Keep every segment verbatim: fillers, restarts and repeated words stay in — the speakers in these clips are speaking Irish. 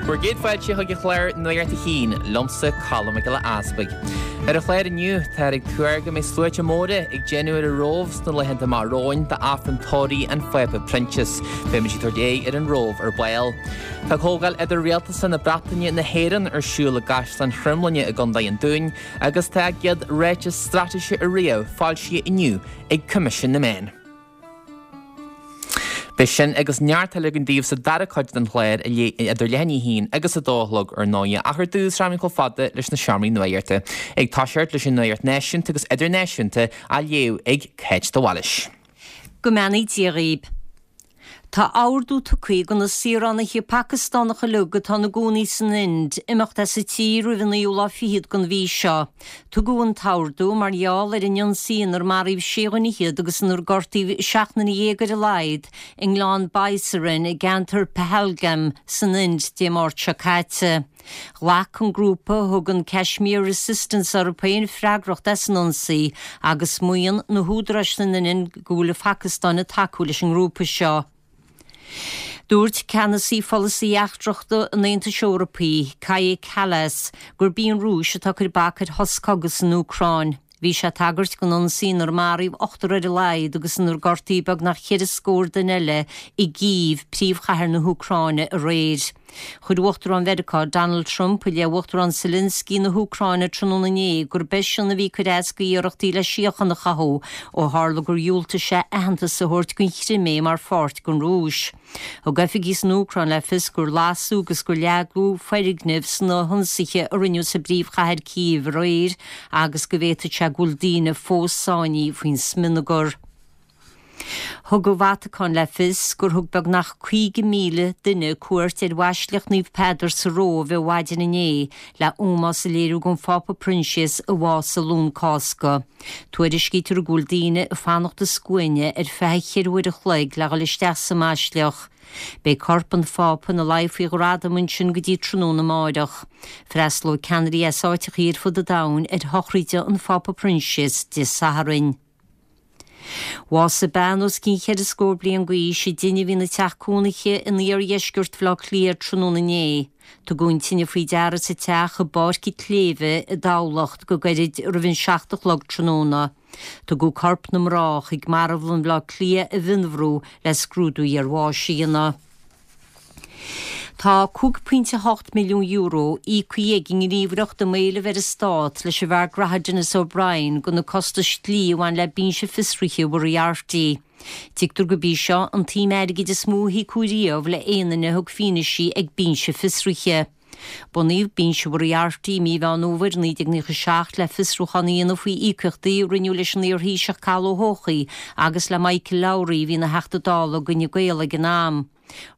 Bhur gcéad fáilte chuig an chlár Nuacht a hAon liomsa Colm Mac Giolla Easpaig. Ar an chlár inniu táthar ag tuar go mbeidh sluaite móra ag déanamh ar an Róimh sna laethanta amach romhainn d'Aifreann tórraimh an Phápa Proinsias. Beimid ag tabhairt aghaidh ar an Róimh ar ball. Tá comhdháil idir-rialtasach na Breataine na hÉireann ar siúl i gCaisleán Chromghlinne i gContae an Dúin, agus tá a gcéad ráiteas straitéise ariamh foilsithe inniu ag Coimisiún na Meán. Beidh sin agus neart eile againn daoibh sa dara cuid den chlár idir leath i ndiaidh a haon agus a dó a chlog ar ndóigh, ach ar dtús rachaimid chomh fada leis na seomraí nuachta. Ag toiseacht leis an nuacht náisiúnta agus idirnáisiúnta á léamh ag Cáit de Bhailís. Go mbeannaí Dia dhaoibh. Tá ordú tugtha do na saoránaithe Pacastánacha uilig atá ina gcónaí san Ind imeacht as an tír roimh an naoú lá fichead den mhí seo. Tugadh an t-ordú mar gheall ar an ionsaí inar maraíodh sé dhuine fhichead agus inar gortaíodh seacht nduine dhéag ar a laghad i ngleann Baisaran i gceantar Pahalgam san Ind Dé Máirt seo caite. Ghlac an grúpa a thugann Kashmir Resistance orthu féin freagracht as an ionsaí agus maíonn na húdaráis san Ind go bhfuil an Phacastáin ag tacú leis an ngrúpa seo. Dúirt ceannasaí pholasaí eachtrach an Aontais Eorpaigh, Kaja Kallas, gurb í an Rúis atá ag cur bac ar shos cogaidh san Úcráin. Bhí sé ag tagairt don ionsaí inar maraíodh ochtar ar a laghad agus inar gortaíodh beagnach ceithre scór duine eile i gCív, príomhchathair na hÚcráine aréir. Chuir Uachtarán Mheiriceá Donald Trump i leith Uachtarán Zelensky na hÚcráine tráthnóna inné gurb eisean a bhí ag cur as d'iarrachtaí le síocháin a chothú ó tharla gur dhiúltaigh sé aitheantas a thabhairt don Chrimé mar pháirt den Rúis. Thug oifigigh san Úcráin le fios gur lasadh agus gur leagadh foirgnimh sna hionsaithe a rinneadh sa bpríomhchathair Cív aréir agus go bhféadfadh sé go bhfuil daoine fós sáinnithe faoin smionagar. Thug an Vatacáin le fios gur thug beagnach caoga míle duine cuairt ar Bhaisleac Naomh Peadar sa Róimh ar maidin inné le ómós a léiriú don Phápa Proinsias a bhásaigh Luan Cásca. Tuairiscítear go bhfuil daoine ag fanacht i scuaine ar feadh cheithre uair a chloig le dhul isteach sa mbaisleac. Beidh corp an Phápa ina luí faoi ghradam ansin go dtí tráthnóna amárach. Freastalóidh ceannairí as áiteacha ar fud an domhain ar shochraid an Phápa Proinsias Dé Sathairn. Bhásaigh bean os cionn cheithre scór bliain d'aois i dtine a bhí ina teach cónaithe in iardheisceart Bhaile Átha Cliath tráthnóna inné. Tugadh an tine faoi deara sa teach i bPáirc an tSléibhe i dTamhlacht go gairid roimh an seacht a chlog tráthnóna. Tugadh corp na mná chuig marbhlann Bhaile Átha Cliath i bhFionnbhrú le scrúdú iarbháis a dhéanamh. Tá cúig pointe hocht milliún euro íoctha ag an nGníomhaireacht um Éilimh ar an Stát leis an bhfear graithe Denis O'Brien do na costais dlí a bhain le binse fiosraithe Mhoriarty. Tuigtear gurb í seo an tsuim airgid is mó a híocadh riamh le aon duine a thug fianaise ag binse fiosraithe. Bunaíodh binse Mhoriarty i mí Mheán Fhómhair naoi déag nócha seacht le fiosrúchán a dhéanamh faoi íocaíochtaí a rinneadh leis an iar-Thaoiseach Cathal Ó hEochaidh agus le Michael Lowry a bhí ina Theachta Dála d'Fhine Gael ag an am.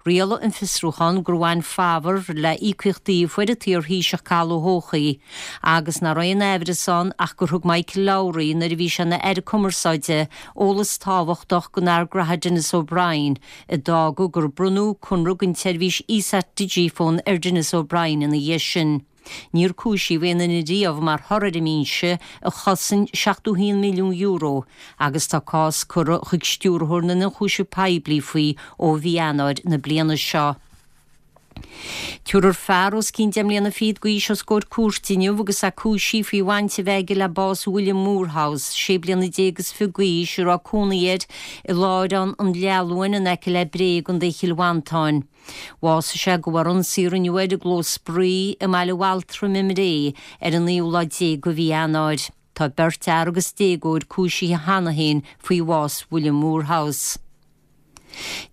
Rialaigh an fiosrúchán gur bhain fabhar le íocaíochtaí a fuair an t-iar-Thaoiseach Cathal Ó hEochaidh agus nach raibh aon aimhreas ann ach gur thug Michael Lowry, nuair a bhí sé ina Aire Cumarsáide, eolas tábhachtach don fhear graithe Denis O'Brien, a d'fhág gur bronnadh conradh don tseirbhís Esat Digifone ar Denis O'Brien ina dhiaidh sin. Níor cúisíodh aon duine riamh mar thoradh ar an mbinse a chosain seachtó haon milliún euro agus tá cás curtha chuig Stiúrthóir na nIonchúiseamh Poiblí faoi ó mhí Eanáir na bliana seo. Tabharfar fear os cionn deich mbliana fichead d'aois os comhair cúirte inniu agus é cúisithe faoi bhaint a bheith aige le bás William Moorhouse, sé bliana déag is fiche d'aois, a raibh cónaí air i láithreán an Leathluain in aice le Bré i gContae Chill Mhantáin. Bhásaigh sé de bharr ionsaí a rinneadh air i gclós spraoi i mBaile Bhaltraim i mBré ar an naoú lá déag de mhí Eanáir. Tá beirt fhear agus déagóir cúisithe cheana féin faoi bhás William Moorhouse.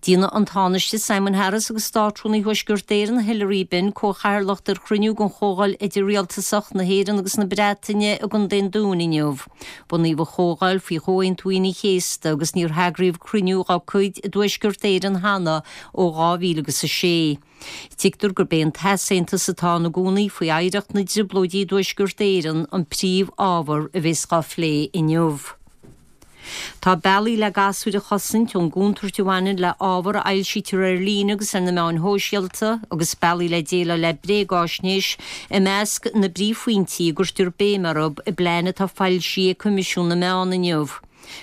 Déanfaidh an Tánaiste Simon Harris agus Státrúnaí Thuaisceart Éireann Hilary Benn comhchathaoirleacht ar chruinniú den Chomhdháil Idir-Rialtasach na hÉireann agus na Breataine i gContae an Dúin inniu. Bunaíodh an Chomhdháil faoi Chomhaontú Aoine an Chéasta agus níor heagraíodh cruinniú dá cuid i dTuaisceart Éireann cheana ó dhá mhíle agus a sé. Tuigtear gurb é an t-easaontas atá ann i gcónaí faoi oidhreacht na dTrioblóidí i dTuaisceart Éireann an príomh-ábhar a bheas á phlé inniu. Tá bealaí le gasúir a chosaint ón gcontúirt a bhaineann le ábhar a fhoilsítear ar líne agus ar na meáin shóisialta, agus bealaí le déileáil le bréagáisnéis, i measc na bpríomhphointí a gcuirtear béim orthu i bplean atá foilsithe ag Coimisiún na Meán inniu.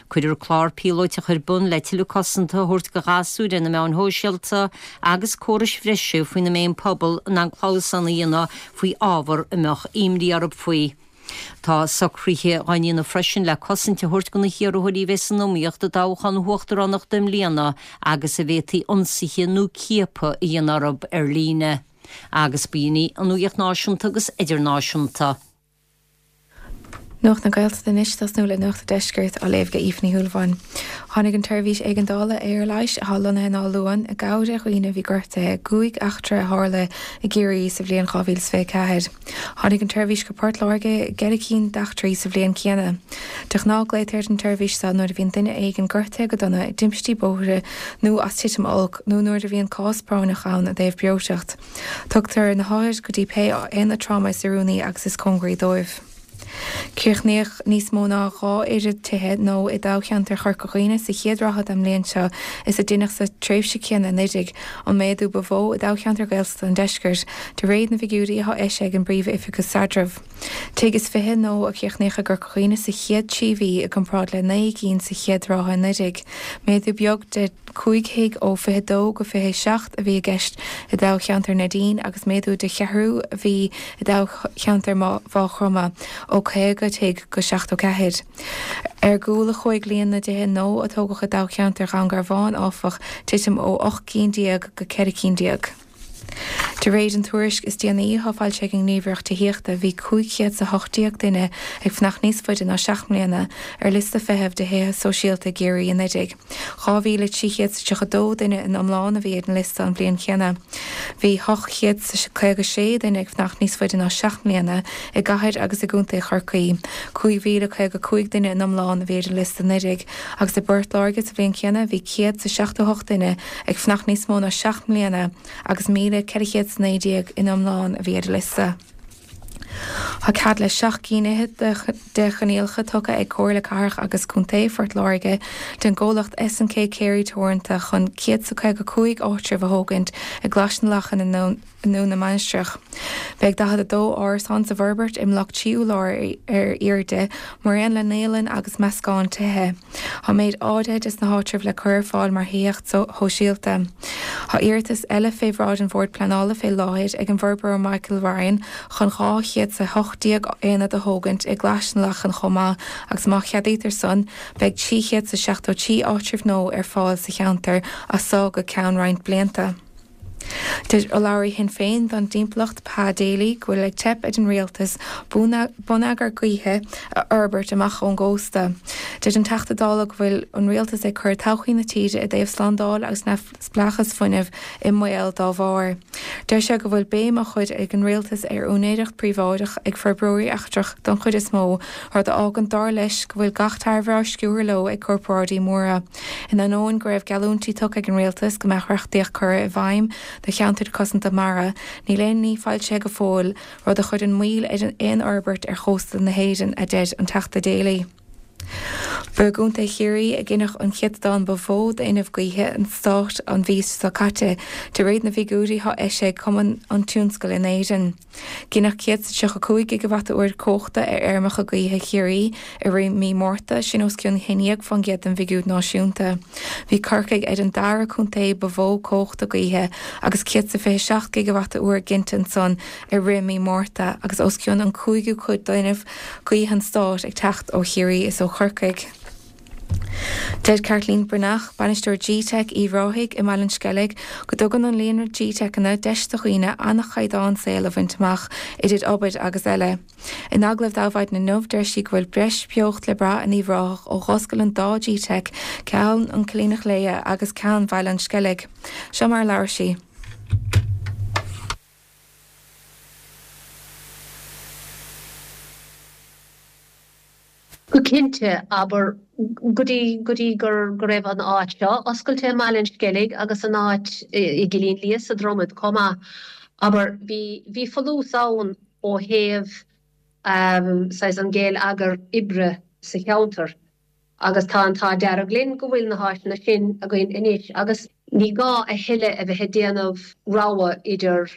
Cuirfear clár píolótach ar bun le tuilleadh cosanta a thabhairt do ghasúir ar na meáin shóisialta agus córais bhreise faoina mbeidh an pobal in ann clamhsán a dhéanamh faoi ábhar a mbeadh imní orthu faoi. Tá socruithe á ndéanamh freisin le cosaint a thabhairt do na hiarrthóirí a bheidh san iomaíocht i dtoghchán na huachtaránachta i mbliana agus a bhféadfaí ionsaithe nó ciapadh a dhéanamh orthu ar líne. Agus b'in í an nuacht náisiúnta agus idirnáisiúnta. Nuacht na Gaeltachta anois ag tosnú le Nuacht an Deiscirt á léamh ag Aoife Ní Shúilleabháin. Tháinig an tseirbhís éigeandála aerleighis atá lonnaithe in Áth Luain i gcabhair ar dhaoine a bhí gortaithe i gcúig eachtra a tharla i gCiarraí sa bhliain dhá mhíle is fiche a ceathair. Tháinig an tseirbhís go Port Láirge i gceithre cinn d'eachtraí sa bhliain chéanna. De ghnáth glaotar ar an tseirbhís seo nuair a bhíonn duine éigin gortaithe go dona i dtimpistí bóthair nó as titim olc nó nuair a bhíonn cás práinneach ann i dtaobh breoiteacht. Tugtar na hothair go dtí pé aonad tráma is oiriúnaí agus is cóngaraí dóibh. Críochnaíodh níos mó ná dhá oiread tithe nua i dtoghcheantar Chorca Dhuibhne sa chéad ráithe den mbliain seo is a deineadh sa tréimhse chéanna anuraidh, an méadú ba mhó i dtoghcheantar Gaeltachta an Deiscirt, de réir na bhfigiúirí atá eisithe ag an bPríomh-Oifigeach Staidrimh. Tigh is fiche nua a críochnaíodh i gCorca Dhuibhne sa chéad trí mhí i gcomparáid le naoi gcinn sa chéad ráithe anuraidh. Méadú beag de cúig thigh ó fiche dó go fiche seacht a bhí i gceist i dtoghcheantar Neidín agus méadú de cheathrú a bhí i dtoghcheantar Mhaigh Chromtha, ó caoga tigh go seachtó ceathair. Ar gcúl a chuaigh líon na dtithe nua a tógadh i dtoghcheantar Dhún Garbhán, áfach, titim ó ocht gcinn déag go ceithre cinn déag. De réir an tuairisc is déanaí atá foilsithe ag an nGníomhaireacht Tithíochta, bhí cúig chéad 's a hocht déag duine ag fanacht níos faide ná seacht mbliana ar liosta feithimh do thithe sóisialta i gCiarraí anuraidh. dhá mhíle trí chéad 's tríocha dó duine in iomlán a bhí ar an liosta an bhliain chéanna. Bhí ocht chéad 's caoga sé duine ag fanacht níos faide ná seacht mbliana i gcathair agus i gcontae Chorcaí. cúig mhíle caoga cúig duine in iomlán a bhí ar an liosta anuraidh agus i bPort Láirge sa bhliain chéanna bhí céad 's seachtó hocht duine ag fanacht níos mó ná seacht mbliana agus míle ceithre chéad 's naoi déag in iomlán a bhí ar an liosta. Tá cead le seacht gcinn fhichead de choinníollacha tugtha ag Comhairle Cathrach agus Contae Phort Láirge don gcomhlacht S and K Carey Teoranta chun céad 's a caoga cúig áitreabh a thógaint i gClais na Lachan i nDún na Mainistreach. Beidh daichead a dó árasán sa bhforbairt i mbloc trí urlár ar airde, mar aon le naíolann agus meascán tithe. Tá méid áirithe des na háitribh le cur ar fáil mar thithíocht shóisialta. Tá iarratas eile fé bhráid an Bhoird Pleanála fé láthair ag an bhforbróir Michael Ryan chun dhá chéad 's a hocht déag aonad a thógaint i gClais na Lachan chomh maith agus má cheadaítear san, beidh trí chéad 's a seachtó trí áitreabh nua ar fáil sa cheantar as so go ceann roinnt blianta. Deir urlabhraí Shinn Féin don dtimpeallacht Pa Daly go bhfuil ag teip ar an rialtas bonneagar gaoithe a fhorbairt amach ón gcósta. Deir an Teachta Dála go bhfuil an rialtas ag cur todhchaí na tíre i dtaobh slándáil agus neamhspleáchas fuinnimh i mbaol dá bharr. Deir sé go bhfuil béim á chur ag an rialtas ar úinéireacht príobháideach ag forbróirí eachtrach don chuid is mó, rud a fhágann dar leis go bhfuil gach tairbhe á sciúradh leo ag corparáidí móra. In ainneoin go raibh geallúintí tugtha ag an rialtas go mbeadh reachtaíocht curtha i bhfeidhm do cheantair cosanta mara, níl aon ní foilsithe go fóill, rud a chuireann moill ar aon fhorbairt ar chósta na hÉireann, a deir an Teachta Daly. Ba i gContae Chiarraí a gineadh an céatadán ba mhó d'fhuinneamh gaoithe an stáit an mhí seo caite, de réir na bhfigiúirí atá eisithe ag Cumann an Tionscail in Éirinn. Gineadh céad 's a tríocha cúig gigeavata-uair cumhachta ar fheirmeacha gaoithe Chiarraí i rith mí Márta, sin os cionn haon déag faoin gcéad den bhfigiúr náisiúnta. Bhí Corcaigh ar an dara contae ba mhó cumhachta gaoithe agus céad 's a fiche seacht gigeavata-uair ginte ansan i rith mí Márta agus os cionn an cúigiú cuid d'fhuinneamh gaoithe an stáit ag teacht ó Chiarraí is ó Chorcaigh. Deir Caitlín Breathnach, Bainisteoir G-Teic Uíbh Ráthaigh i mBaile an Sceilg, go dtugann an líonra G-Teiceanna deis do dhaoine an-chaighdeán saoil a bhaint amach, idir obair agus eile. In agallamh d'Adhmhaidin inniu, deir sí go bhfuil breis beocht le brath in Uíbh Ráthach ó dh'oscail an dá G-Teic, ceann an Choilíneach Léithe agus ceann Bhaile an Sceilg. Seo mar a labhair sí. Go cinnte, abair, go dtí, go dtí gur, go raibh an áit seo oscailte i mBaile an Sceilg agus an áit i gCillín Liath sa Dromad chomh maith, abair, bhí, bhí folús ann ó thaobh saghas an gheilleagar oibre sa cheantar agus tá an t-ádh dearg linn go bhfuil na háiseanna sin againn anois agus ní gá a thuilleadh a bheith ag déanamh rogha idir,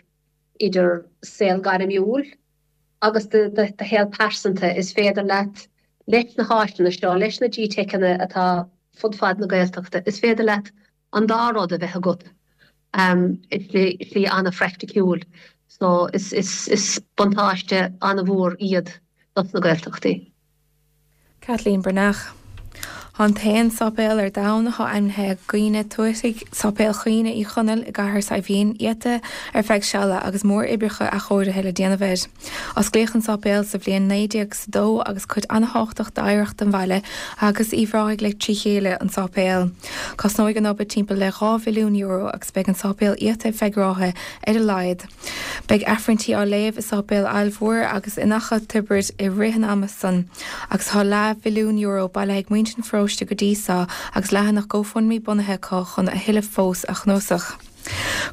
idir saol gairmiúil agus do shaol pearsanta. Is féidir leat Leis na háiseanna seo, leis na GTeiceanna atá fud fad na Gaeltachta, is féidir leat an dá rud a bheith agat i slí an-phraiticiúil. So is is is buntáiste an-mhór iad dos na Gaeltachtaí. Kathleen Breathnach. Tá an t-aon sáipéal ar domhan atá ainmnithe ag daoine tuataigh, Sáipéal Chaoine Uí Chonaill i gCathair Saidhbhín, iata ar feadh seala agus mór-oibreacha athchóirithe le déanamh air. Osclaíodh an sáipéal sa bhliain naoi déag is a dó agus cuid an-thábhachtach d'oidhreacht an bhaile agus Uíbh Ráthaigh le trí chéile an sáipéal. Cosnóidh an obair timpeall le dhá mhilliún euro agus beidh an sáipéal iata ar feadh ráithe ar a laghad. Beidh Aifrinntí á léamh i Sáipéal Aill Mhór agus in Achadh Tiobraid i rith an ama san agus tá leath mhilliún euro bailithe ag muintir an pharóiste go dtí so agus leathanach GoFundMe bunaithe acu chun a thuilleadh fós a chnuasach.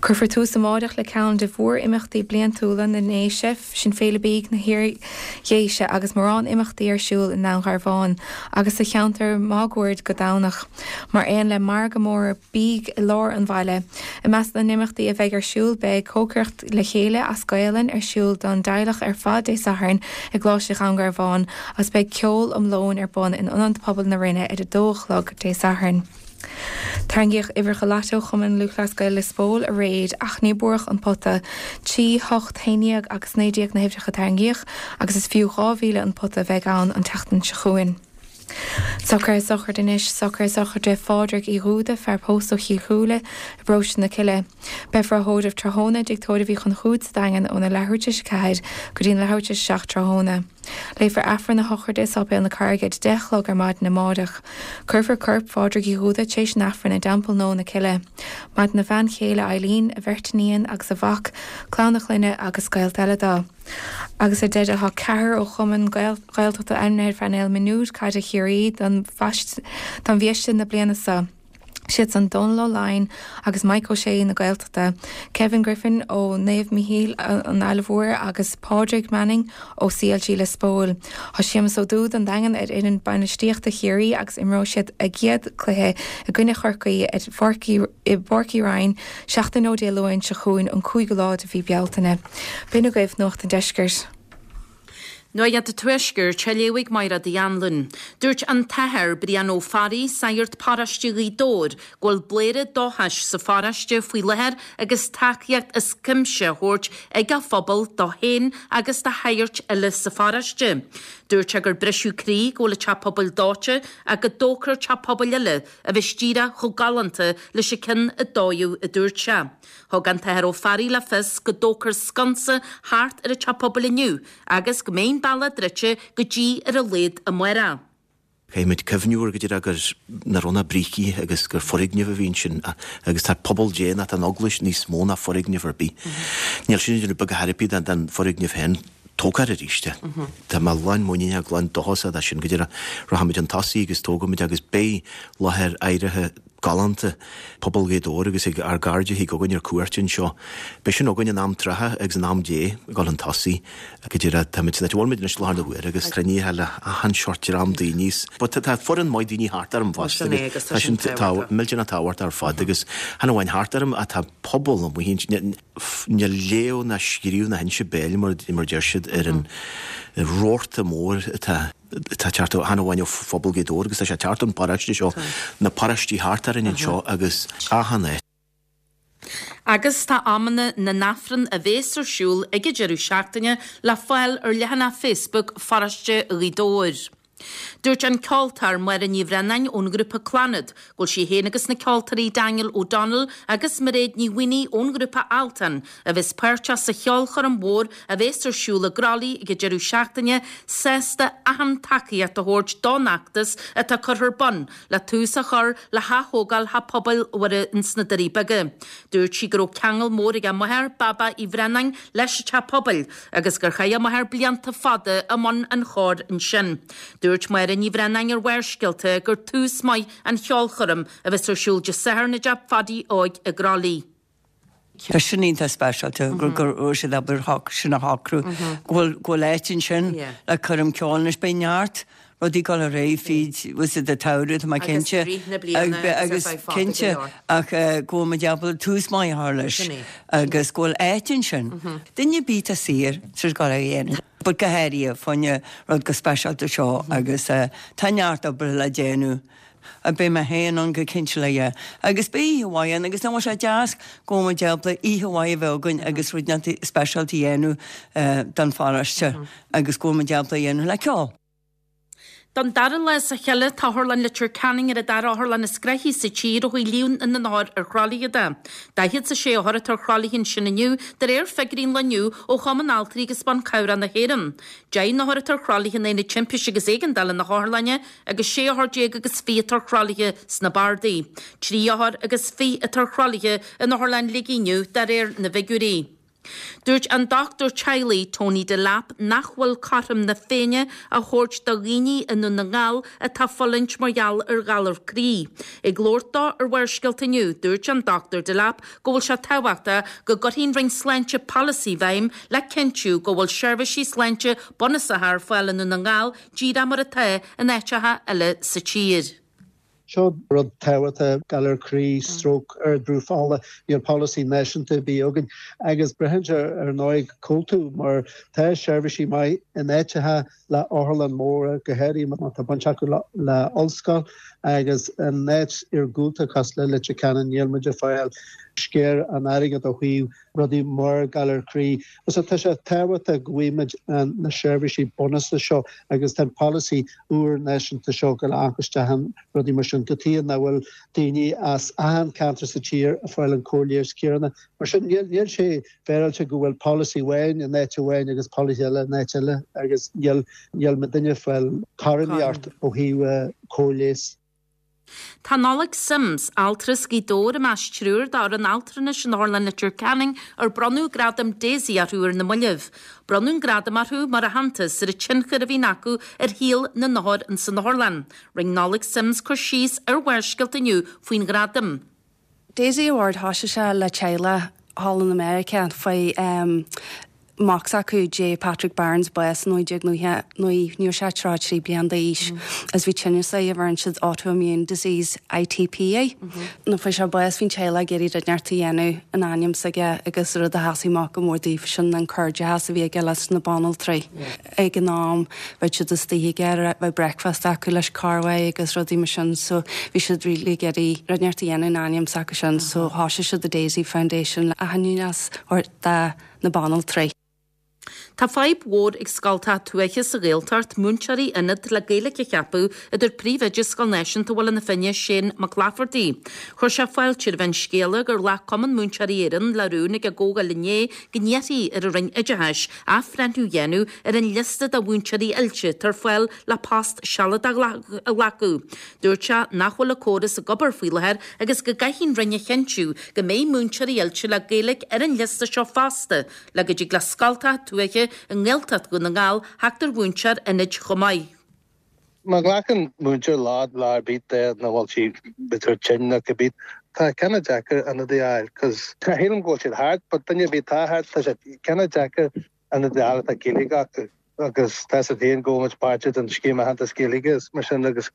Cuirfear tús amáireach le ceann de mhór-imeachtaí bliantúla na nDéise, sin Féile Bídh na hIar-Dhéise agus mórán imeachtaí ar siúl i nDún Garbhán agus sa cheantar máguaird go Domhnach, mar aon le margadh mór bídh i lár an bhaile. I measc na n-imeachtaí a bheidh ar siúl beidh Cócaireacht le Chéile as Gaelainn ar siúl don dteaghlach ar fad Dé Sathairn i gColáiste Dhún Garbhán agus beidh ceol um lóin ar bun in Ionad Pobail na Rinne ar a dó a chlog Dé Sathairn. Tarraingíodh uimhreacha lató Chumann Lúthchleas Gael Lios Póil aréir ach níor buadh an pota. Trí, hocht, haon déag agus naoi déag na huimhreacha a tarraingíodh agus is fiú dhá mhíle an pota a bheidh ann an tseachtain seo chugainn. Socruithe sochraide anois, socruithe sochraide Phádraig Uí Dhúda, fear pósta ó Chill Chúile i bparóiste na Cille. Beifear á thórramh tráthnóna i dTigh Tórraimh Uí Chonchúir sa Daingean óna leathuair tar éis a ceathair go dtí an leathuair tar éis a seacht tráthnóna. Léifear Aifreann a shochraide i Sáipéal na Carraige ag deich a chlog ar maidin amáireach. Cuirfear corp Phádraig Uí Dhúda tar éis an Aifrinn i dTeampall Nua na Cille. Maireann a bhean chéile Eileen, a bheirt iníon agus a mhac, clann a chlainne agus gaolta eile dó. Agus ar deireadh tá ceathrar ó chumainn Ghaeltachta ainmnithe ar phainéal mionúir caide Chiarraí don bhiaiste na bliana seo. Siad san Dónal Ó Laighin agus Mike Ó Sé na Gaeltachta, Kevin Griffin ó Naomh Mícheál an Fhaile Mhór agus Pádraig Manning ó CLG Lios Póil. Tá Séamus Ó Dúda an Daingean ar fhoireann bainistíochta Chiarraí agus imreoidh siad a gcéad cluiche i gcoinne Chorcaí ar Pháirc i bPáirc Uí Rinn seachtain ó Dé Luain seo chugainn an cúigiú lá de mhí Bealtaine. B'in agaibh Nuacht an Deiscirt. Nuacht an Tuaiscirt, á léamh ag Máire Uí Anluain. Dúirt an tAthair Brian Ó Fearraigh, sagart paróiste Ghaoth Dobhair, go bhfuil bladhaire dóchais sa pharóiste faoi láthair agus tacaíocht as cuimse á thabhairt ag a phobal dó féin agus do shagairt eile sa pharóiste. Dúirt sé gur briseadh croí go bhfuil an teach pobail dóite ach go dtógfar teach pobail eile a bheas díreach chomh galánta leis an ceann a dódh, a dúirt sé. Thug an tAthair Ó Fearraigh le fios go dtógfar sconsa thart ar an teach pobail inniu agus go mbeidh an bealach druidte go dtí ar a laghad amárach. Caithfidh muid cuimhniú ar go díreach gur nach raibh na brící agus gur foirgneamh a bhí ansin agus tá pobal Dé ná tá an Eaglais níos mó ná foirgneamh ar bith. Níl sin ag déanamh beag a thairbhe den foirgneamh féin. Tógfar arís é. Tá mé lán muiníneach, lán dóchasach de sin go díreach. Rachaimid chun tosaigh agus tógfaimid agus beidh láthair áirithe galánta, pobal Ghaoth Dobhair agus ag ár gcairde a thig chugainn ar cuairt anseo. Beidh sin againn in am trátha agus in am Dé ag dul chun tosaigh go díreach. Táimid san áit a bhfuil muid anois i láthair na huaire agus cruinnithe le achan seort dream daoine. But tá foireann maith daoine thart orm fosta agus tá sin millteanach tábhachtach ar fad agus chan amháin thart orm ach tá pobal amuigh ansin. Níl léamh ná scríobh ná hinse béil mar a deir siad ar an rabharta mór atá ag teacht chan amháin ó phobal Ghaoth Dobhair agus tá sé ag teacht ón bparóiste seo, na paróistí thart orainn anseo agus achan áit. Agus tá amanna na nAifreann a bhéas ar siúl ag an deireadh seachtaine le fáil ar leathanach Facebook Pharóiste Ghaoth Dobhair. Dúirt an ceoltóir Máire Ní Bhraonáin ón ghrúpa Clannad go bhfuil sí féin agus na ceoltóirí Daniel O'Donnell agus Mairéad Ní Mhaonaigh ón ghrúpa Altan, a bheas páirteach sa cheolchoirm mhór a bheas ar siúl i gCroithlí ag an deireadh seachtaine, sásta achan tacaíocht a thabhairt don fheachtas atá curtha ar bun le tús a chur le hath-thógáil Theach Pobail Mhuire ins na Doirí Beaga. Dúirt sí go raibh ceangal mór ag a máthair, Baba Uí Bhraonáin, leis an teach pobail agus gur chaith a máthair blianta fada i mbun an chóir ansin. Dúirt Máire Ní Bhraonáin ar Bharrscéalta gur tús maith an cheolchoirm a bheas ar siúl Dé Sathairn i dTeach Phadaí Óig i gCroithlí. Tá sin iontach speisialta go raibh siad ábalta sin a shocrú, go bhfuil go bhfuil áit ansin le coirm ceoil anois. Beidh neart rudaí ag dul ar aghaidh fríd bhfuil siad an tsamhradh, tá mé cinnte. Agus cinnte ach go bhfuil muid ábalta tús maith a chur leis agus go bhfuil áit ansin. Duine ar bith atá saor, tá siad ag dul á dhéanamh. But go háirithe fá choinne rud chomh speisialta seo agus tá neart obair le déanamh. Beidh mé féin ann go cinnte le yeah. Agus beidh oíche mhaith ann agus nach bhfuil sé deas go bhfuil muid ábalta oíche mhaith a bheith againn agus rud speisialta a dhéanamh don pharóiste agus go bhfuil muid ábalta a dhéanamh le ceol. Don dara lá as a chéile tá Otharlann Leitir Ceanainn ar an dara otharlann is gnoithí sa tír ó thaobh líon na n-othar ar thralaithe de. Daichead is a sé othar atá ar thralaithe ansin inniu, de réir figiúirí an lae inniu ó Chumann Altraí agus Ban Cabhrach na hÉireann. Deich n-othar atá ar thralaithe in Aonad Timpiste agus Éigeandála na hotharlainne agus sé othar déag agus fiche atá ar thralaithe sna bardaí. Trí othar agus fiche atá ar thralaithe in Otharlann Shligigh inniu, de réir na bhfigiúirí. Dúirt an dochtúir teaghlaigh Tony Delap nach bhfuil cothrom na Féinne á thabhairt do dhaoine i nDún na nGall atá ag fulaingt mar gheall ar ghalar croí. Ag labhairt dó ar Bharrscéalta inniu, dúirt an Dochtúir Delap go bhfuil sé tábhachtach go gcuirfidh an Roinn Sláinte polasaí i bhfeidhm le cinntiú go bhfuil seirbhísí sláinte bunúsacha ar fáil i nDún na nGall díreach mar atá in áiteacha eile sa tír. Seo rud tábhachtach, galar croí, stróc, ardbhrú fola, níl polasaí náisiúnta ar bith againn agus braitheann sé ar ndóigh cá bhfuil tú mar tá seirbhísí maith in áiteacha le otharlann móra go háirithe má tá baint acu le, le ollscoil agus in áit iargúlta cosúil le Leitir Ceanainn níl muid ag fáil sciar an airgead ó thaobh rudaí mar galar croí. So tá sé tábhachtach go bhfaighimid na seirbhísí bunúsacha seo agus tá an polasaí úr náisiúnta seo go amach isteach in rudaí mar sin go dtí nach bhfuil daoine as achan ceantar sa tír ag fáil an cóir leighis céanna. Mar sin níl níl sé féaráilte go bhfuil polasaí amháin in áit amháin agus polasaí eile in áit eile agus níl níl muidinne ag fáil cothromaíocht ó thaobh cóir leighis. Tá Nollaig Simms, altra as Gaoth Dobhair i measc triúr d'fhoireann altranais in Otharlann Leitir Ceanainn ar bronnadh gradam DAISY orthu ar na mallaibh. Bronnadh an gradam orthu mar aitheantas ar an tionchar a bhíonn acu ar shaol na n-othar insan otharlann. Rinne Nollaig Simms cur síos ar Bharrscéalta inniu faoin ghradam. DAISY Award thosaigh sé le teaghlach thall in America faoi um, mac s'acu J. Patrick Barnes bás naoi déag nócha naoi ní sé trá trí bliana d'aois as bhí tinneas air a bheireann siad autoimmune disease I T P A. Nuair a fuair sé bás bhí an teaghlach ag iarraidh rud inteacht a dhéanamh in ainm s'aige agus rud a sheasaigh amach go mór daofa sin an cairdeas a bhí aige leis na banaltraí. Ag an am bheadh siad istigh aige bheadh breakfast acu leis carway agus rudaí mar sin so bhí siad really ag iarraidh rud inteacht a dhéanamh in ainm s'acu sin so thosaigh siad the Daisy Foundation le aitheantas do na banaltraí. Tá fadhb mhór ag scoltacha tuaithe sa Ghaeltacht múinteoirí ionad le Gaeilge a cheapadh a dúirt príomhoide Scoil Náisiúnta Bhaile na Finne Shane Mac Laifeartaigh. Chuir sé fáilte roimh an scéala gur ghlac Cumann Múinteoirí Éireann le rún ag an gcomhdháil inné go n-iarrfaí ar an Roinn Oideachais athbhreithniú a dhéanamh ar an liosta de mhúinteoirí oilte atá ar fáil le post sealadach a ghlacadh. Dúirt sé nach bhfuil an córas ag obair faoi láthair agus go gcaithfidh an Roinn a chinntiú go mbeidh múinteoirí oilte le Gaeilge ar an liosta seo fosta le go dtig le scoltacha tuaithe i nGaeltacht Dhún na nGall theacht ar mhúinteoir ionaid chomh maith. Má ghlacann múinteoir lá lá ar bith de na bhfuil sí b'fhéidir tinn nó cibé tá cineál deacair ionadaí a fháil, cos shílim go bhfuil siad thart, but duine ar bith tá thart tá sé cineál deacair ionadaí a fháil atá Gaeilge acu agus tá sé féin go muid páirteach den scéim aitheantas Gaeilge is mar sin agus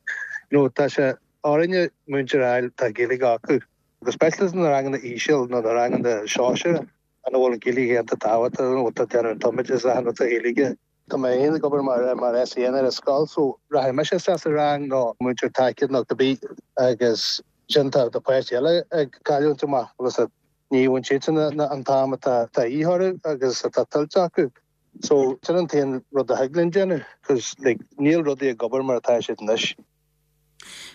you know, tá sé orainne múinteoir a fháil tá Gaeilge acu. Agus speisialta na ranganna íseal nó na ranganna sóisear an bhfuil an Ghaeilge iontach tábhachtach tá déanamh an tumoideachas a tá Gaeilge. Tá mé féin ag obair mar mar S E N ar an scoil so rachaidh mise isteach sa rang nó múinteoir tacaíochta nó cibé agus sin tá do páistí eile ag cailliúint amach agus ní bhfuil siad an t-am atá de dhíth orthu agus atá tuillte acu. So sin an t-aon rud a thig linn déanamh, cos like, níl rudaí ag obair mar atá siad anois.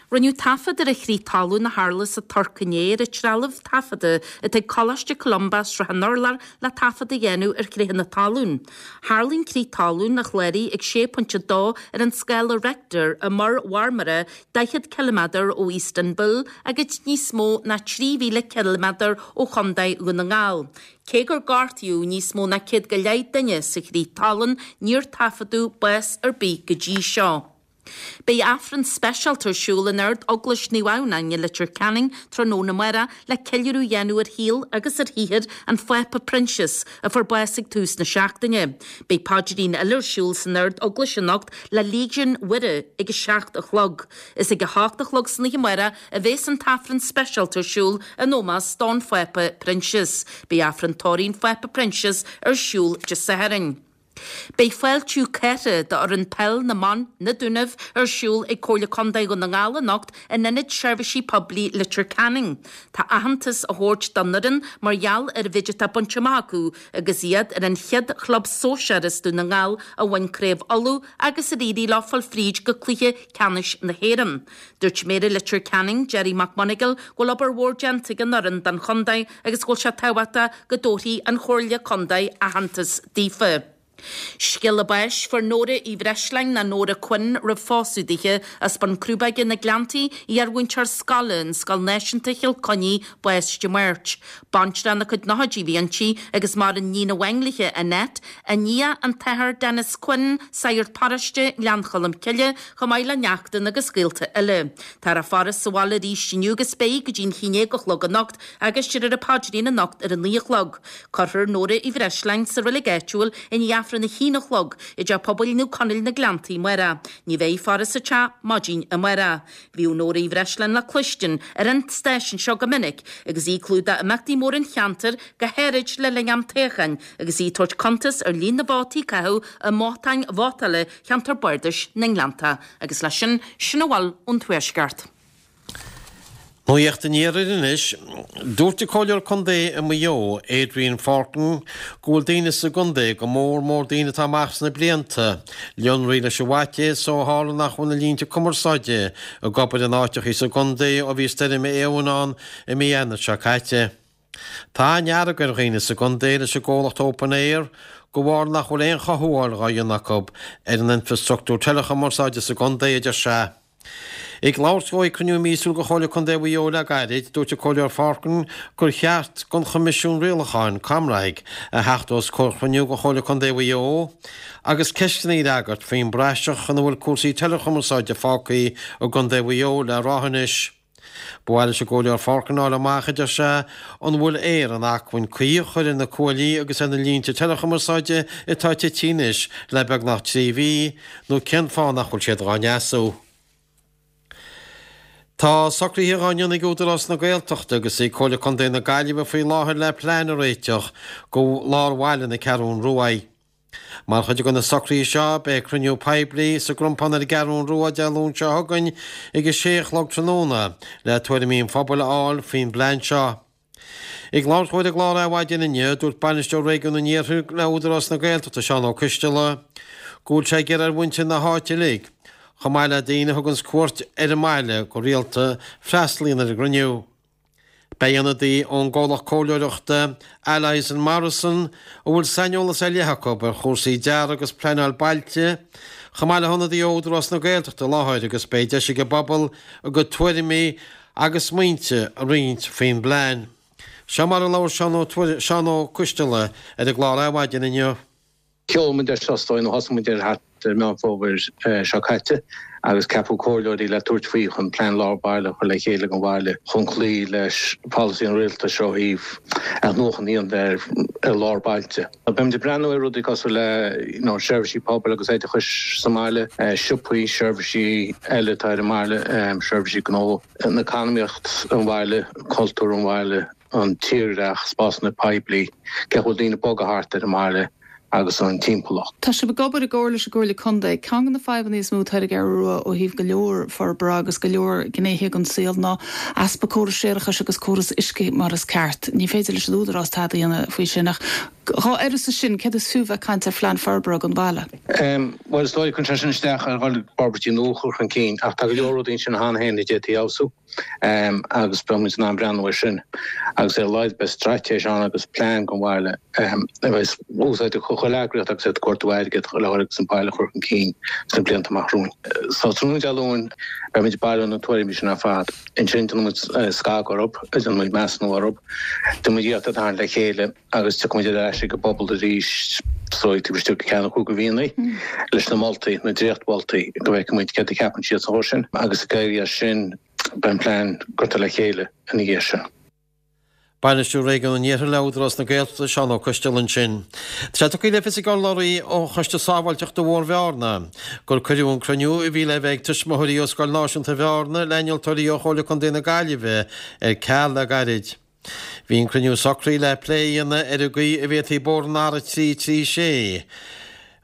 Rinneadh taifead ar an chrith talún a tharla sa Tuirc inné ar an trealamh taifeadta atá ag Coláiste Columba Srath an Urláir le taifead a dhéanamh ar chrithe na talún. Tharla an crith talún a chláraigh ag sé pointe dó ar an scála Richter i Muir Mharmara daichead ciliméadar ó Istanbul agus níos mó ná trí mhíle ciliméadar ó Chontae Dhún na nGall. Cé gur gortaíodh níos mó ná céad go leith duine sa chrith talún níor taifeadadh bás ar bith go dtí seo. Beidh Aifreann speisialta ar siúl in Ard-Eaglais Naomh Adhamhnáin i Leitir Ceanainn tráthnóna amárach le ceiliúradh a dhéanamh ar shaol agus ar shaothar an Phápa Proinsias a fuair bás ag tús na seachtaine. Beidh paidrín eile ar siúl san Ard-Eaglais anocht le Légion Mhuire ag a seacht a chlog. Is ag a hocht a chlog san oíche amárach a bheas an tAifreann speisialta ar siúl in ómós don Phápa Proinsias. Beidh Aifreann tórraimh an Phápa Proinsias ar siúl Dé Sathairn. Beidh fáiltiú cathartha d'fhoireann peil na mban, Na Dúnaibh, ar siúl ag Comhairle Contae Dhún na nGall anocht in Ionad Seirbhísí Poiblí Leitir Ceanainn. Tá aitheantas á thabhairt don fhoireann mar gheall ar an mhéid atá bainte amach acu agus iad ar an chéad chlub sóisear as Dún na nGall a bhain Craobh Uladh agus ar éirigh leo fáil fríd go cluiche ceannais na hÉireann. Dúirt Méara Leitir Ceanainn, Gerry McMonagall, go bhfuil obair mhór déanta ag an fhoireann don chontae agus go bhfuil sé tábhachtach go dtabharfaidh an Chomhairle Contae aitheantas daofa. Scéala báis, Fuair Nóra Uí Bhreisleáin nó Nóra Quinn roimh phósadh dithe, as Bun Crúbóige na Gleanntaí, iarmhúinteoir scoile in Scoil Náisiúnta Chill Chainnigh, bás Dé Máirt. Baintreach ina cuid nóchaidí a bhí inti agus maireann níon amháin léi, Annette, a nia, an tAthair Denis Quinn, sagart paróiste, Gleann Cholm Cille, chomh maith le neachtanna agus gaolta eile. Táthar á faire sa bhaile arís inniu agus beidh go dtí an haon déag a chlog anocht agus déarfar an paidrín anocht ar a naoi a chlog. Cuirfear Nóra Uí Bhreisleáin sa reilig áitiúil i ndiaidh Aifreann a haon a chlog i dTeach Pobail Naomh Conaill na Gleanntaí amárach. Ní bheidh faire sa teach maidin amárach. Bhíodh Nóra Uí Bhreisleáin le cluinstin ar an stáisiún seo go minic agus í ag clúdach imeachtaí móra an cheantair, go háirid le linn am toghcháin, agus í ag tabhairt cuntas ar líon na vótaí a caitheadh i mbothán vótála cheantar bardais na nGleanntach. Agus leis sin, sin a bhfuil ón Tuaisceart. Nuacht an Iarthair anois. Dúirt an Comhairleoir Contae i Maigh Eo, Adrian Fortin, go bhfuil daoine sa gcontae, go mór mór daoine atá amach sna blianta, lonraithe leis an bhfaitíos ó tharla nach bhfuil na línte cumarsáide ag obair in áiteachaí sa gcontae ó bhí stoirm Éowyn ann i mí Eanáir seo caite. Tá an-fhearg ar dhaoine sa gcontae leis an gcomhlacht Open Eir de bharr nach bhfuil aon chothabháil dhá dhéanamh acu ar an infreastruchtúr teileachumarsáide sa gcontae, a deir sé. Ag labhairt dó ag cruinniú míosúil de Chomhairle Contae Mhaigh Eo le gairid, dúirt an Comhairleoir Forkin gur cheart don Choimisiún Rialacháin, ComReg, a theacht os comhair chruinniú de Chomhairle Contae Mhaigh Eo agus ceisteanna a fhreagairt faoin bpraiseach ina bhfuil cúrsaí teileachumarsáide fágtha i gContae Mhaigh Eo le ráithe anois. Ba mhaith leis an gComhairleoir Forkin a fháil amach, a deir sé, an bhfuil Eir in acmhainn caoi a chur ar na cuaillí agus ar na línte teileachumarsáide atá tite anois le beagnach trí mhí, nó cén fáth nach bhfuil siad dhá ndeasú. Tá socruithe dhá ndéanamh ag Údarás na Gaeltachta agus ag Comhairle Contae na Gaillimhe faoi láthair le plean a réiteach do lár bhaile na Ceathrún Ruaidh. Mar chuid de na socruithe seo, beidh cruinniú poiblí sa gCrompán ar an gCeathrún Rua Dé Luain seo chugainn ag a sé a chlog tráthnóna le tuairimí an phobail a fháil faoin bplean seo. Ag labhairt dó ar an gclár Adhmhaidin inniu, dúirt Bainisteoir Réigiún an Iarthair le Údarás na Gaeltachta, Seán Ó Coisteala, go bhfuil sé ag iarraidh ar mhuintir na háite uilig, chomh maith le daoine a thuganns cuairt ar an mbaile go rialta, freastal a dhéanamh ar an gcruinniú. Beidh ionadaí ón gcomhlacht comhairleoireachta Allies and Morrison, a bhfuil saineolas ar leith acu ar chúrsaí dearaidh agus pleanáil bailte, chomh maith le hionadaí ó Údarás na Gaeltachta i láthair agus beidh deis ag an bpobal a gcuid tuairimí agus smaointe a roinnt faoin bplean. Seo mar a labhair Seán Ó Coisteala ar an gclár Adhmhaidin inniu. Sheol muid air seo is dóigh nó thosaigh muid air thart ar Meán Fómhair seo caite agus ceapadh comhairleoirí le tabhairt faoi chun plean lár baile a chur le chéile don bhaile chun cloí leis polasaí an rialtais ó thaobh athnuachan a dhéanamh ar lár bailte. Beimid ag breathnú ar rudaí cosúil le you know seirbhísí pobail agus oideachais sa mbaile, siopaí, seirbhísí eile atá ar an mbaile, seirbhísí gnó, an eacnamaíocht an bhaile, cultúr an bhaile, an tírdhreach, spásanna poiblí, cén chaoi a bhfuil daoine ag bogadh thart ar an mbaile agus an timpeallacht. Tá sibh ag obair i gcomhar leis an gComhairle Contae. Ceann de na fadhbanna is mó atá ar an gCeathrú Rua ó thaobh go leor forbartha agus go leor gnéithe den saol ná easpa córas séarachais agus córas uisce mar is ceart. Ní féidir leis an Údarás tada a dhéanamh faoi sin ach dhá uireasa sin, céard is fiú bheith ag caint ar phlean forbartha don bhaile? Bhuel, is dóigh, cuireann sé sin isteach ar dhul forbairtí nua a chur chun cinn ach tá go leor rudaí ansin cheana féin a d'fhéadfaí a fheabhsú. agus beidh muid in ann breathnú air sin agus ar a laghad beidh straitéis ann agus plean don bhaile a bheas úsáideach do chuile eagraíocht agus iad ag cuartú airgead le dhul agus an baile a chur chun cinn sna blianta amach romhainn. So tráthnóna Dé Luain beidh muid ag bailiú na tuairimí sin ar fad. Ansin déanfaidh muid scagadh orthu, déanfaidh muid measúnú orthu, déanfaidh muid iarracht iad a tharraingt le chéile agus tiocfaidh muid ar ais ag an bpobal arís so taobh istigh de ceann nó cúig de mhíonna leis na moltaí, na dréachtmholtaí, go bhfeicfidh muid céard a cheapann siad sa chor sin agus ag éirí as sin beidh an plean curtha le chéile ina dhiaidh sin. Bainisteoir Réigiún an Iarthair le Údarás na Gaeltachta, Seán Ó Coisteala ansin. Tá sé tugtha le fios ag urlabhraí ó Choiste Sábháilteachta Bhóthar Bhearna gur cuireadh an cruinniú a bhí le bheith ag tuismitheoirí ó Scoil Náisiúnta Bhearna le innealtóirí ó Chomhairle Contae na Gaillimhe ar ceal le gairid. Bhí an cruinniú socraithe le plé a dhéanamh ar an gcaoi a bhféadfaí bóthar an R a trí trí sé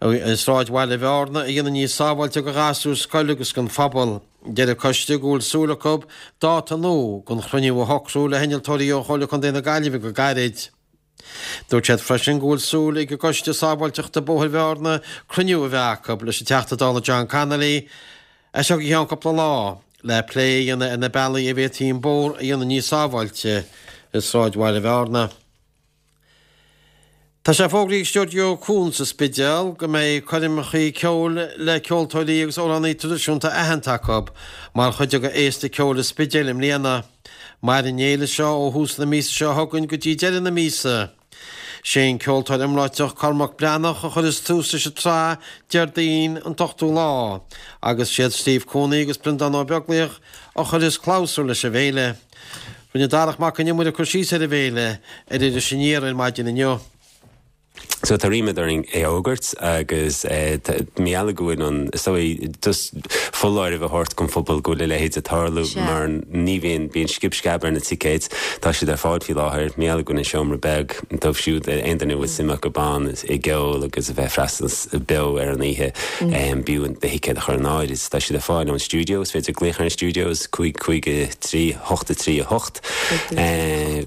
i sráidbhaile Bhearna a dhéanamh níos sábháilte do ghasúir scoile agus don phobal. Deir an coiste go bhfuil súil acu dáta nua don chruinniú a shocrú le hinnealtóirí ó Chomhairle Contae na Gaillimhe go gairid. Dúirt siad freisin go bhfuil súil ag an gCoiste Sábháilteachta Bóthair Bhearna cruinniú a bheith acu leis an Teachta Dála John Connolly as seo go ceann cúpla lá le plé a dhéanamh ar na bealaí a bhféadfaí an bóthar a dhéanamh níos sábháilte i sráidbhaile Bhearna. Tá sé fógraithe ag Stiúideo Cuan sa Spidéal go mbeidh coirmeacha ceoil le ceoltóirí agus amhránaí traidisiúnta aitheanta acu mar chuid de Fhéasta Ceoil an Spidéil i mbliana. Mairfidh an fhéile seo ó thús na míosa seo chugainn go dtí deireadh na míosa. Sé an ceoltóir iomráiteach Cormac Breathnach a chuirfeas tús leis an tsraith Déardaoin an t-ochtú lá agus siad Steve Cooney agus Breandán Ó Beaglaoich a chuirfeas clabhsúr leis an bhféile. Rinne Darach Mac Con Iomaire cur síos ar an bhféile ar Iris Aniar ar maidin inniu. So tá ríméad orainn é a fhógairt agus mar gheall go bhfuil an so just foláireamh a thabhairt don phobal go bhfuil a leithéid ag tarlú mar ní bhíonn bíonn scib sceab ar na ticéid tá siad ar fáil faoi láthair mar gheall go bhfuil an seomra beag dóibh siúd aon duine bhfuil suim acu ann i gceol agus a bheith freastal beo ar an oíche b'fhiú do thicéad a chur in áirithe tá siad ar fáil ón studio is féidir glaoch ar an studios cúig cúig trí hocht a trí a hocht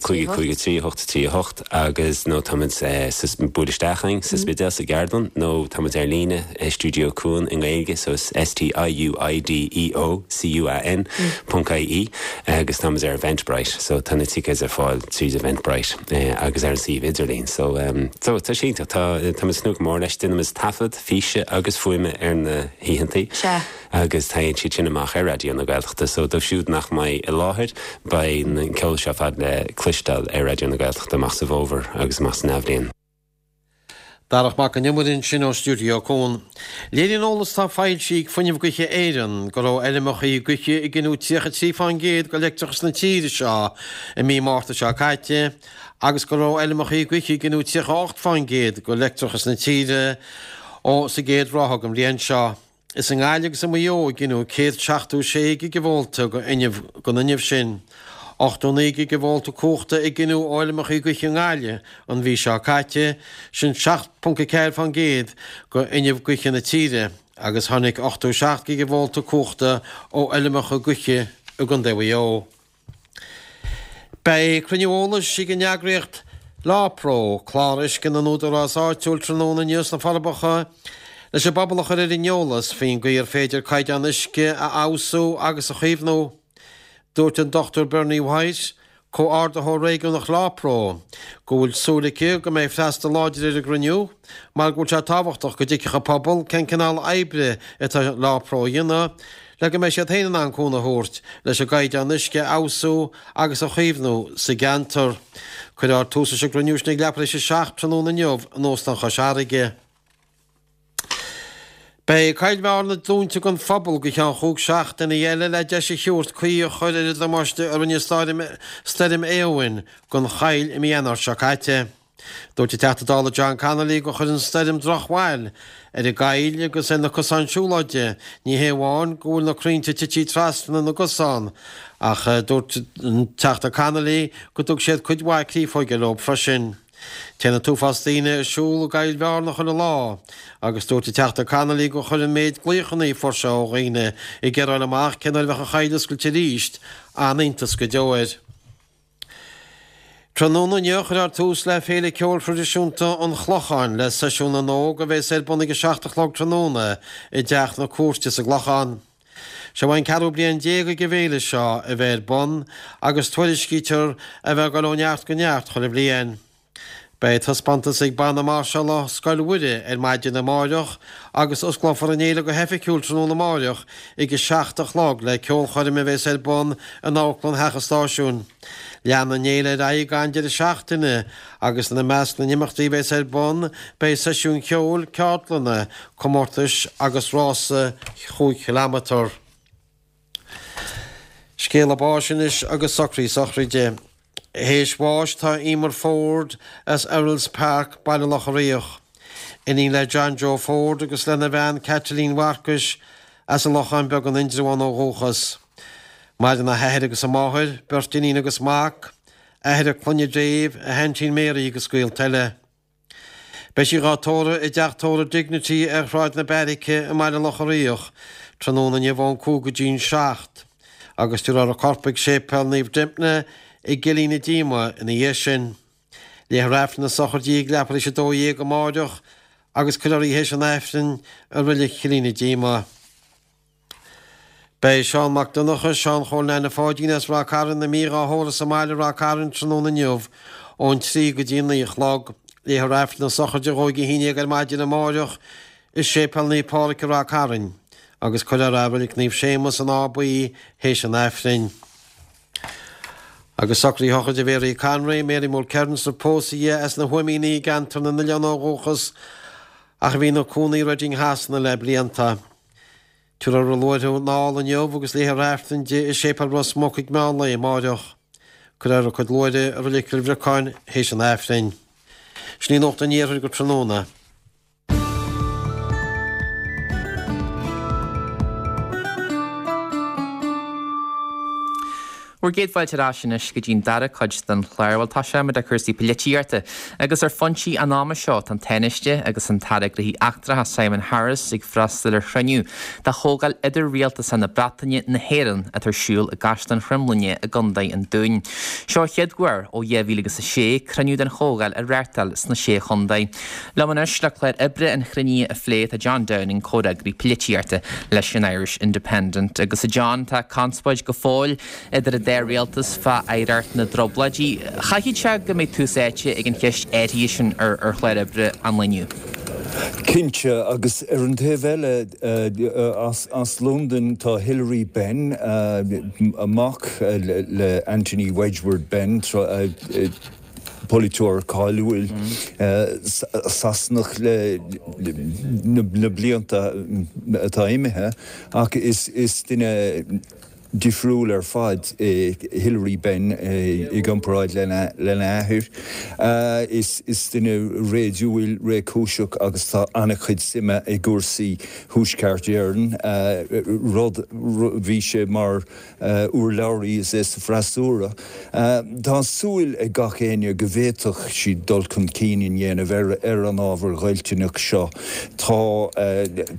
cúig cúig trí hocht a trí a hocht agus nó táimid buail isteach chugainn sa Spidéal sa gceardlann nó táimid ar líne Stiúideo Cuan i nGaeilge so is S T I U I D E O C U A N ponc I E agus táimid ar Eventbrite so tá na tickets ar fáil tríd Eventbrite agus ar an suíomh idirlín so um, so tá sé tá tá tnúth go mór leis déanaimid taifead físe agus fuaime ar na hoícheantaí. agus téann siad sin amach ar Raidió na Gaeltachta so dóibh siúd nach mbeidh i láthair beidh an ceol seo fad le cloisteáil ar Raidió na Gaeltachta amach sa bhfómhar agus amach san athbhliain. Darach Mac Con Iomaire sin ó Stiúideo Cuan. Léiríonn eolas atá foilsithe ag Fuinneamh Gaoithe Éireann go raibh fheirmeacha gaoithe ag giniúint tríocha trí faoin gcéad de leictreachas na tíre seo i mí Márta seo caite agus go raibh fheirmeacha gaoithe ag giniúint tríocha ocht faoin gcéad de leictreachas na tíre ó sa gcéad ráithe den bhliain seo. Is i nGaillimh agus i Maigh Eo a gineadh céad seachtó sé gigeavólta den fhuinneamh sin. ochtó naoi gigeavólta cumhachta a gineadh ó fheirmeacha gaoithe i nGaillimh an mhí seo caite, sin seacht ponc a ceathair faoin gcéad de fhuinneamh gaoithe na tíre, agus tháinig ochtó seacht gigeavólta cumhachta ó fheirmeacha gaoithe i gContae Mhaigh Eo. Beidh cruinniú eolais ag an eagraíocht LawPro, Clár Uisce na nÚdarás Áitiúil tráthnóna inniu sna Forbacha leis an bpobal a chur ar an eolas faoin gcaoi ar féidir caighdeán uisce a fheabhsú agus a chaomhnú. Dúirt an Dochtúir Bernie White, Comhordaitheoir Réigiúnach LawPro, go bhfuil súil aici go mbeidh freastal láidir ar an gcruinniú mar go bhfuil sé tábhachtach go dtuigfeadh an pobal cén cineál oibre atá LawPro a dhéanamh le go mbeidh siad féin in ann cúnamh a thabhairt leis an gcaighdeán uisce a fheabhsú agus a chaomhnú sa gceantar. Cuirfear tús leis an gcruinniú sin ag leathuair tar éis a seacht tráthnóna inniu in Óstán Chois Fharraige. Beidh Coill Bhearna dúnta don phobal go ceann chúig seachtainí eile le deis a thabhairt caoi a chur ar an damáiste a rinne Stoirm Éowyn don choill i mí Eanáir seo caite. Dúirt an Teachta Dála John Connolly gur chuir an stoirm drochbhail ar an gcoill agus ar na cosáin siúlóide, ní hé amháin go bhfuil na crainnte tite trasna na gcosán ach dúirt an Teachta Connolly go dtug siad cuid mhaith créafóige leo freisin. Téann an t-uafás daoine ag siúl i gCoill Bhearna chuile lá agus dúirt an Teachta Connolly gur chuir an méid glaochanna a fuair sé ó dhaoine ag iarraidh a fháil amach cén uair a bheadh an choill oscailte arís an-iontas go deo air. Tráthnóna inniu cuirfear tús le Féile Ceoil Thraidisiúnta an Chlocháin le Seisiún na nÓg a bheas ar bun ag a seacht a chlog tráthnóna i dTeach na Cúirte sa gClochán. Seo an ceathrú bliain déag ag an bhféile seo a bheith ar bun agus tuairiscítear a bheith ag dul ó neart go neart chuile bhliain. Beidh taispeántas ag Banna Máirseála Scoil Mhuire ar maidin amáireach agus osclófar an fhéile go hoifigiúil tráthnóna amáireach ag a seacht a chlog le ceolchoirm a bheas ar bun in Amharclann Theach an Stáisiúin. Leanfaidh an fhéile ar aghaidh gan deireadh seachtaine agus ina measc na n-imeachtaí a bheas ar bun beidh seisiúin cheoil, ceardlanna, comórtais agus rása chúig chileámetar. Scéala báis anois agus socraí sochraide. Théis bháis tá Emer Ford as Errol's Park, Baile Locha Riach. Iníon le John Joe Ford agus lena bhean Caitlín Mharcais as an Lochán Beag in Indreabhán ó dhúchas. Maireann a hathair agus a máthair, beirt iníon agus mac, athair a clainne Dave, a haintín Mary agus gaolta eile. Beidh sí dhá tórramh i dteach tórraimh Dignity ar Shráid na Beairice i mBaile Locha Riach tráthnóna inniu ón cúig go dtí'n seacht agus tabharfar a corp ag Séipéal Naomh Dympna i gCillín na Díoma ina dhiaidh sin. Léifear Aifreann na sochraide di ag leathuair tar éis a dó dhéag amáireach agus cuirfear í théis an Aifrinn i Reilig Chillín na Díoma. Beidh Seán Mac Donncha, Seán Chóil Neaine Pháidín as Ráth Cairn imithe dhá thórramh sa mbaile i Ráth Cairn tráthnóna inniu ón trí go dtí naoi a chlog. Léifear Aifreann na sochraide dhó ag a haon déag ar maidin amáireach i Séipéal Naomh Pádraig i Ráth Cairn agus cuirfear í i Reilig Naomh Séamus in Áth Buí théis an Aifrinn. Agus socruithe shochraide Mhary Conroy, Mary Mulkerrins ar pósadh di as na hUaimíní i gceantar na nOileán ó dhúchas ach a bhí ina cónaí i Reading Shasana le blianta. Tabharfar a luaithreamh anall inniu agus léifear Aifreann di i Séipéal Ros Muc ag meán lae amáireach. Cuirfear a cuid luaithre i Reilig Chill Bhriocáin théis an Aifrinn. Sin í Nuacht an Iarthair go tráthnóna. Bhur gcéad fáilte ar ais anois go dtí'n dara cuid den chlár. Bhuel, tosóimid le cúrsaí polaitíochta agus ar foinsí an ama seo tá an Tánaiste agus an tAire Gnóthaí Eachtracha Simon Harris ag freastal ar chruinniú de Chomhdháil Idir-Rialtasach na Breataine na hÉireann atá ar siúl i gCaisleán Chromghlinne i gContae an Dúin. Seo an chéad uair ó dhá mhíle agus a sé cruinniú den Chomhdháil a reáchtáil sna Sé Chontae. Liom anois le clár oibre an chruinnithe a phlé tá John Downing, comhfhreagraí polaitíochta leis an Irish Independent. Agus a John, tá conspóid go fóill idir an dá rialtas fá oidhreacht na dTrioblóidí. Chaithfeadh sé go mbeidh tús áite ag an cheist áirithe sin ar ar chlár oibre an lae inniu. Cinnte, agus ar an taobh eile as Londain tá Hilary Benn, mac le Anthony Wedgwood Benn, polaiteoir cáiliúil Sasanach le na blianta atá imithe, ach is duine difriúil ar fad é Hilary Benn i gcomparáid lena athair. Is duine réadúil, réchúiseach agus tá an-chuid suime i gcúrsaí Thuaisceart Éireann, rud, bhí sé mar urlabhraí is é sa freasúra. Tá súil ag gach éinne go bhféadfadh siad dul chun cinn a dhéanamh ar an ábhar goilliúnach seo. Tá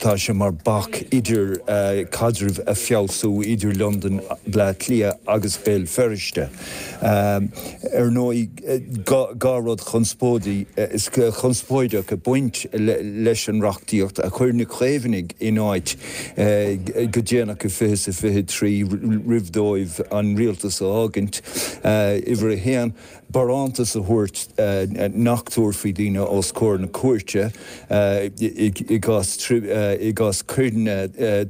tá sé mar bac idir caidrimh a feabhsú idir Londain, Bleá Cliath agus Béal Feirste. Ar ndóigh, dhá rud chonspóideach ag baint leis an reachtaíocht a chuir na Caomhnaigh in áit go déanach i fiche is a fiche trí roimh dóibh an rialtas a fhágaint, uimhir a haon, barántas a thabhairt nach dtabharfaí daoine os comhair na cúirte i gcás coireanna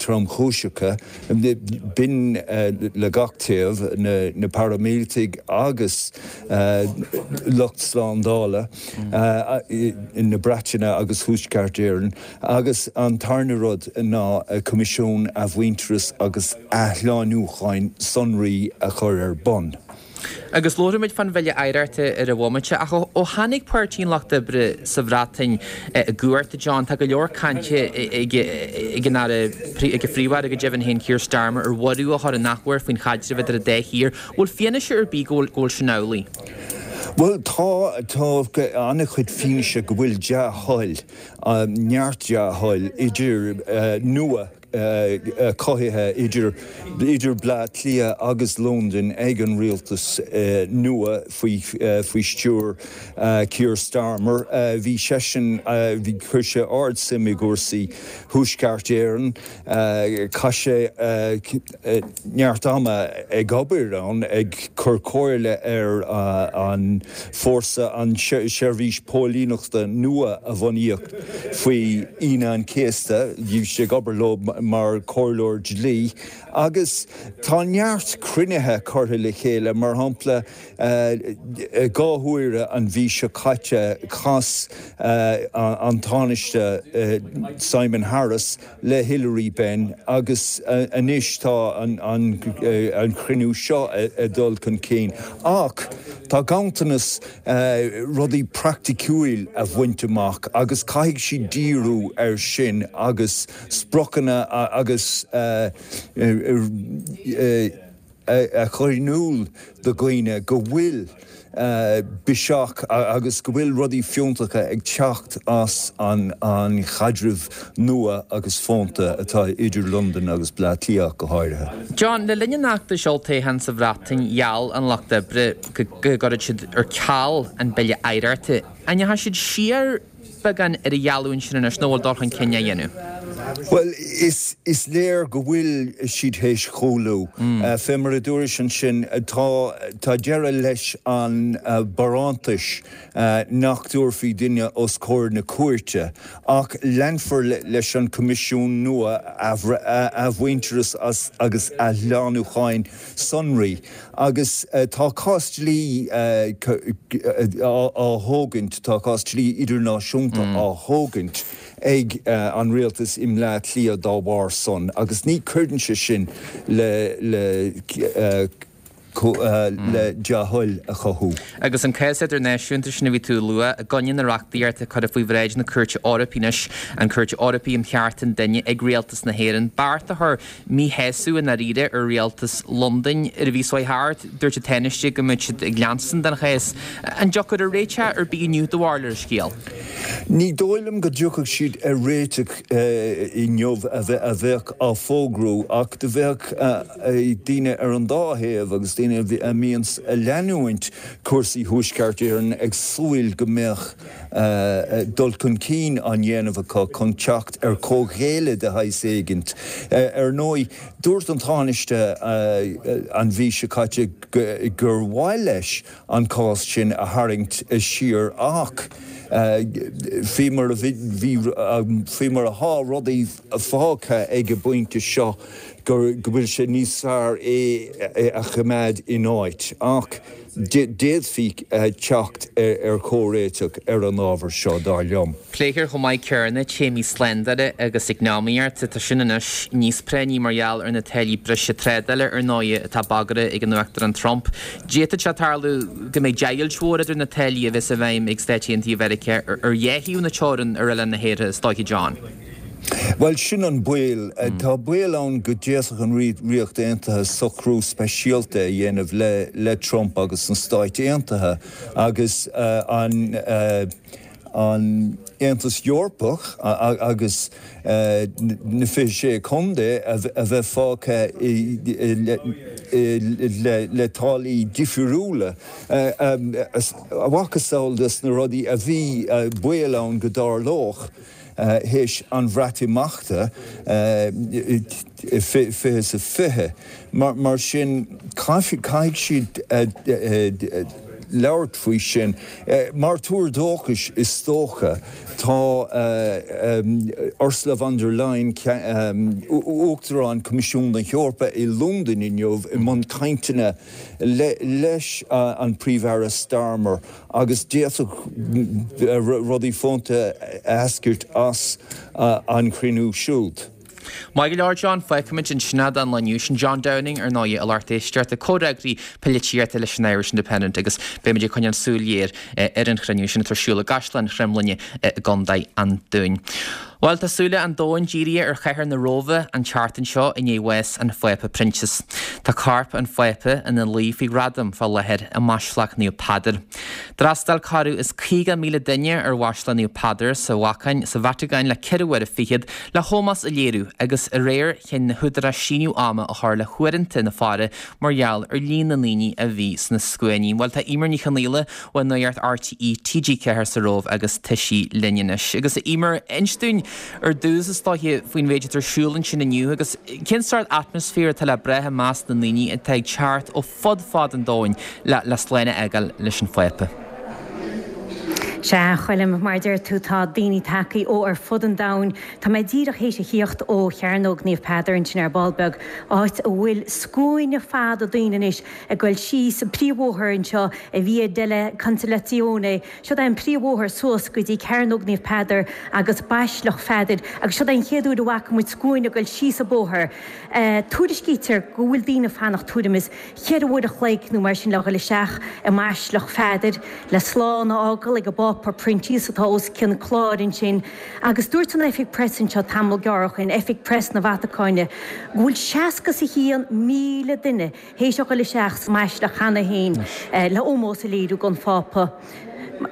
tromchúiseacha. B'in le gach taobh, na paraimíleataigh agus lucht slándála na Breataine agus Thuaisceart Éireann. Agus an tarna rud ná Coimisiún Athmhuintearais agus Athshlánúcháin Sonraí a chur ar bun. Agus labhróimid fán Bhille Oidhreachta ar an bhomaite, ach ó tháinig Páirtí an Lucht Oibre sa Bhreatain i gcumhacht, a John, tá go leor cainte ag an Aire, ag an Phríomh-Aire go deimhin féin, Keir Starmer, ar bhorradh a chur an athuair faoin chaidreamh idir an dá thír. Bhfuil fianaise ar bith go bhfuil sin amhlaidh? Bhuel, tá, tá an-chuid fianaise go bhfuil dea-thoil, neart dea-thoil idir nua cothaithe idir idir Bleá Cliath agus Londain ag an rialtas nua faoi faoi stiúir Keir Starmer. Bhí seisean, bhí, chuir sé ard-suim i gcúrsaí Thuaisceart Éireann. Chaith sé neart ama ag obair ann, ag cur comhairle ar an fórsa, an seirbhís póilíneachta nua a bunaíodh faoi Aoine an Chéasta. Bhí sé ag obair leo mar chomhairleoir dlí agus tá neart cruinnithe curtha le chéile, mar shampla dhá huaire an mhí seo caite chas an Tánaiste Simon Harris le Hilary Benn agus anois tá an cruinniú seo ag dul chun cinn. Ach tá ganntanas rudaí praiticiúil a bhaint amach agus caithfidh siad díriú air sin agus spriocanna agus a chur in iúl do dhaoine go bhfuil biseach agus go bhfuil rudaí fiúntacha ag teacht as an an chaidreamh nua agus fónta atá idir Londain agus Bleá Cliath go háirithe. John, le linn an fheachtais olltoghcháin sa Bhreatain, gheall an Lucht Oibre go gcuirfeadh siad ar ceal an Bille Oidhreachta. An ndeachaigh siad siar beagán ar a gheallúint sin anois nó bhfuil dul chun cinn á dhéanamh? Bhuel, is is léir go bhfuil siad théis cúlú. Fé mar a dúrais ansin, tá tá deireadh leis an barántas nach dtabharfaí duine os comhair na cúirte, ach leanfar leis an Coimisiún nua Athmhuintearais agus Athshlánúcháin Sonraí agus tá cás dlí á thógaint, tá cás dlí idirnáisiúnta á thógaint ag an rialtas i mBleá Cliath dá bharr san agus ní chuireann sé sin le le le dea-thoil a chothú. Agus an cás idirnáisiúnta sin a bhí tú a lua i gcoinne na reachtaíochta curtha faoi bhráid na Cúirte Eorpaí anois, an Chúirt Eorpaí um Chearta an Duine, ag rialtas na hÉireann, beart a chuir míshásamh i ndáiríre ar rialtas Londain. Ar an mhí seo thart, dúirt an Tánaiste go mbeadh siad ag leanstan den chás. An dtiocfar ar réiteach ar bith inniu do bharúil ar an scéal? Ní dóigh liom go dtiocfadh siad ar réiteach inniu a bheadh á fógrú ach do bheadh daoine ar an dá thaobh agus daoine a mbíonns ag leanúint cúrsaí Thuaisceart Éireann ag súil go mbeadh dul chun cinn á dhéanamh acu chun teacht ar chomhghéilleadh de shaghas éigint. Ar ndóigh, dúirt an Tánaiste an mhí seo caite gur mhaith leis an cás sin a tharraingt siar ach faoi mar a bhí, faoi mar atá rudaí fágtha ag an bpointe seo, go bhfuil sé níos fearr é a choimeád in áit. Ach d'fhéadfaí teacht ar chomhréiteach ar an ábhar seo, dar liom. Pléifear chomh maith céanna téamaí slándála agus eacnamaíochta. Tá sin anois níos práinní mar gheall ar na táillí breise trádála, ar ndóigh, atá bagartha ag an Uachtarán Trump. D'fhéadfadh sé tarlú go mbeidh deighilt mhór idir na táillí a bheas i bhfeidhm ag Stáit Aontaithe Mheiriceá ar dhá thaobh na teorann ar oileán na hÉireann, is dóiche, John. Bhuel, sin an baol. Tá baol ann go d'fhéadfadh an Ríocht Aontaithe socrú speisialta a dhéanamh le Trump agus na Stáit Aontaithe agus an an Aontas Eorpach agus na fiche sé contae a bheith fágtha le táillí difriúla, a mhacasamhail des na rudaí a bhí baol ann go dtarlódh théis an Bhreatimeachta fiche is a fiche. Mar sin, caithfidh siad labhairt faoi sin. Mar tuar dóchais, is dócha, tá Ursula von der Leyen, Uachtarán Choimisiún na hEorpa i Londain inniu i mbun cainteanna leis an Príomh-Aire Starmer agus d'fhéadfadh rudaí fónta eascairt as an chruinniú siúd. Maith go leor John, feicfimid ansin é don lá inniu. Sin John Downing ar ndóigh, a lucht éisteachta, comhfhreagraí polaitíochta leis an Irish Independent agus beimid ag coinneáil súil ghéar ar an chruinniú sin atá ar siúl i gCaisleán Chromghlinne i gContae an Dúin. Bhuel, tá súile an domhain dírithe ar chathair na Róimhe an tseachtain seo i ndiaidh bhás an Phápa Proinsias. Tá corp an Phápa ina luí faoi ghradam fá láthair i mBaisleac Naomh Peadar. D'fhreastail corradh is caoga míle duine ar Bhaisleac Naomh Peadar sa Vatacáin sa Vatacáin le ceithre huaire fichead le hómós a léiriú agus aréir chinn na húdaráis síneadh ama a chur le huaireanta na faire mar gheall ar líon na ndaoine a bhí sna scuainí. Bhuel, tá Eimear Ní Chonaola ó Nuacht RTÉ T G ceathair sa Róimh agus tá sí linn anois. Agus a Eimear, inis dúinn ar dtús is dóiche faoin mhéid atá ar siúl ansin inniu agus cén sórt atmaisféar atá le brath i measc na ndaoine atá ag teacht ó fud fad an domhain le le slán a fhágáil leis an Phápa. Sea, a Choilm, mar a deir tú, tá daoine tagtha ó ar fud an domhain. Tá mé díreach théis a thíocht ó Chearnóg Naomh Peadar ansin ar ball beag, áit a bhfuil scuaine fada daoine anois ag goil síos an príomhbhóthar anseo, Via della Consolazione. Siod é an príomhbhóthar suas go dtí Cearnóg Naomh Peadar agus Baisleac Pheadair agus siod é an chéad uair a bhfaca muid scuaine ag goil síos an bóthar. Tuairiscítear go bhfuil daoine ag fanacht tuairim is cheithre uair a chloig nó mar sin le dhul isteach i mBaisleac Pheadair le slán a fhágáil ag an bPápa. Phápa Proinsias atá os cionn cláir ansin agus dúirt an oifig preas anseo tamall gearr ó shin, oifig preas na Vatacáine, go bhfuil seasca is a haon míle duine théis a dhul isteach sa mbaisleac cheana féin le ómós a léiriú don Phápa.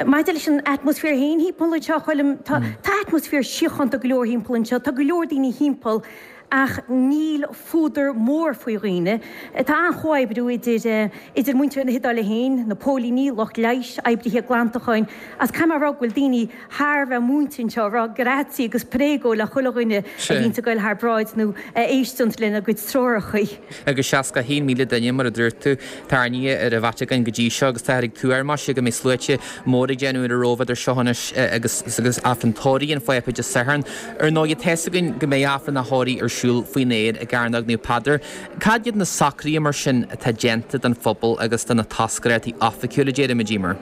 Maidir leis an atmaisféar féin thimpeall anseo, a Choilm, tá atmaisféar síochánta go leor thimpeall anseo, tá go leor daoine thimpeall ach níl fuadar mór faoi dhaoine. Tá an-chomhoibriú idir idir muintir na hIodáile féin, na póilíní, lucht leighis, oibrithe glantacháin agus caithfidh mé a rá go bhfuil daoine thar a bheith múinte anseo ag rá grazie agus prego le chuile dhuine a bhíonns ag goil thar bráid nó a éisteannt lena gcuid treoracha. Agus seasca a haon míle duine, mar a dúirt tú, tarraingthe ar an Vatacáin go dtí seo agus táthar ag tuar, maise, go mbeidh sluaite móra ag déanamh ar an Róimh idir seo anois agus agus Aifreann Tórraimh an Phápa Dé Sathairn. Ar ndóigh, tá fhios againn go mbeidh Aifreann a thórraimh ar siúl faoin aer i gCearnóg Naomh Peadar. Cad iad na socruithe mar sin atá déanta don phobal agus do na toscaireachtaí oifigiúla, déarfaimid, Emer?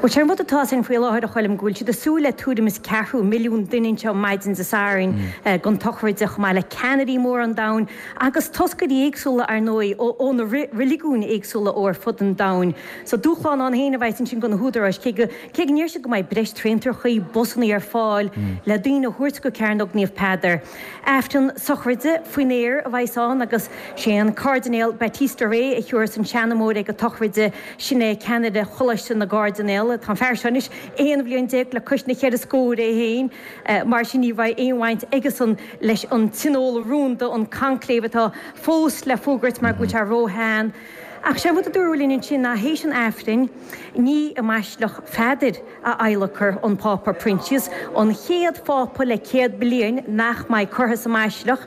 Bhuel, sé an rud atá ann faoi láthair, a Choilm, go bhfuil siad ag súil le tuairim is ceathrú milliún duine anseo maidin Dé Sathairn don tsochraid, chomh maith le ceannairí móra an domhain agus toscairí éagsúla, ar ndóigh, ó na reiligiúin éagsúla ó ar fud an domhain. So, dúshlán ann féin a bheas ansin do na húdaráis, cé go cé go ndeir siad go mbeidh breis traentrachaí, busannaí ar fáil le daoine a thabhairt go Cearnóg Naomh Peadar. Aifreann sochraide faoin aer a bheas ann agus sé an Cairdinéal Battista Re a thiúrfas an seanmóir ag an tsochraide, sin é ceannaire Choláiste na gCairdinéal. Tá an fear seo anois aon bhliain déag le cois na cheithre scór é féin, mar sin ní bheidh aon bhaint aigesan leis an tionól rúnda, an conclave atá fós le fógairt mar go bhfuil sé ró-shean. Ach sé an rud a dúradh linn ansin ná théis an Aifrinn, ní i mBaisleac Pheadair a adhlacfar an Pápa Proinsias, an chéad Phápa le céad bliain nach mbeidh curtha sa mbaisleac.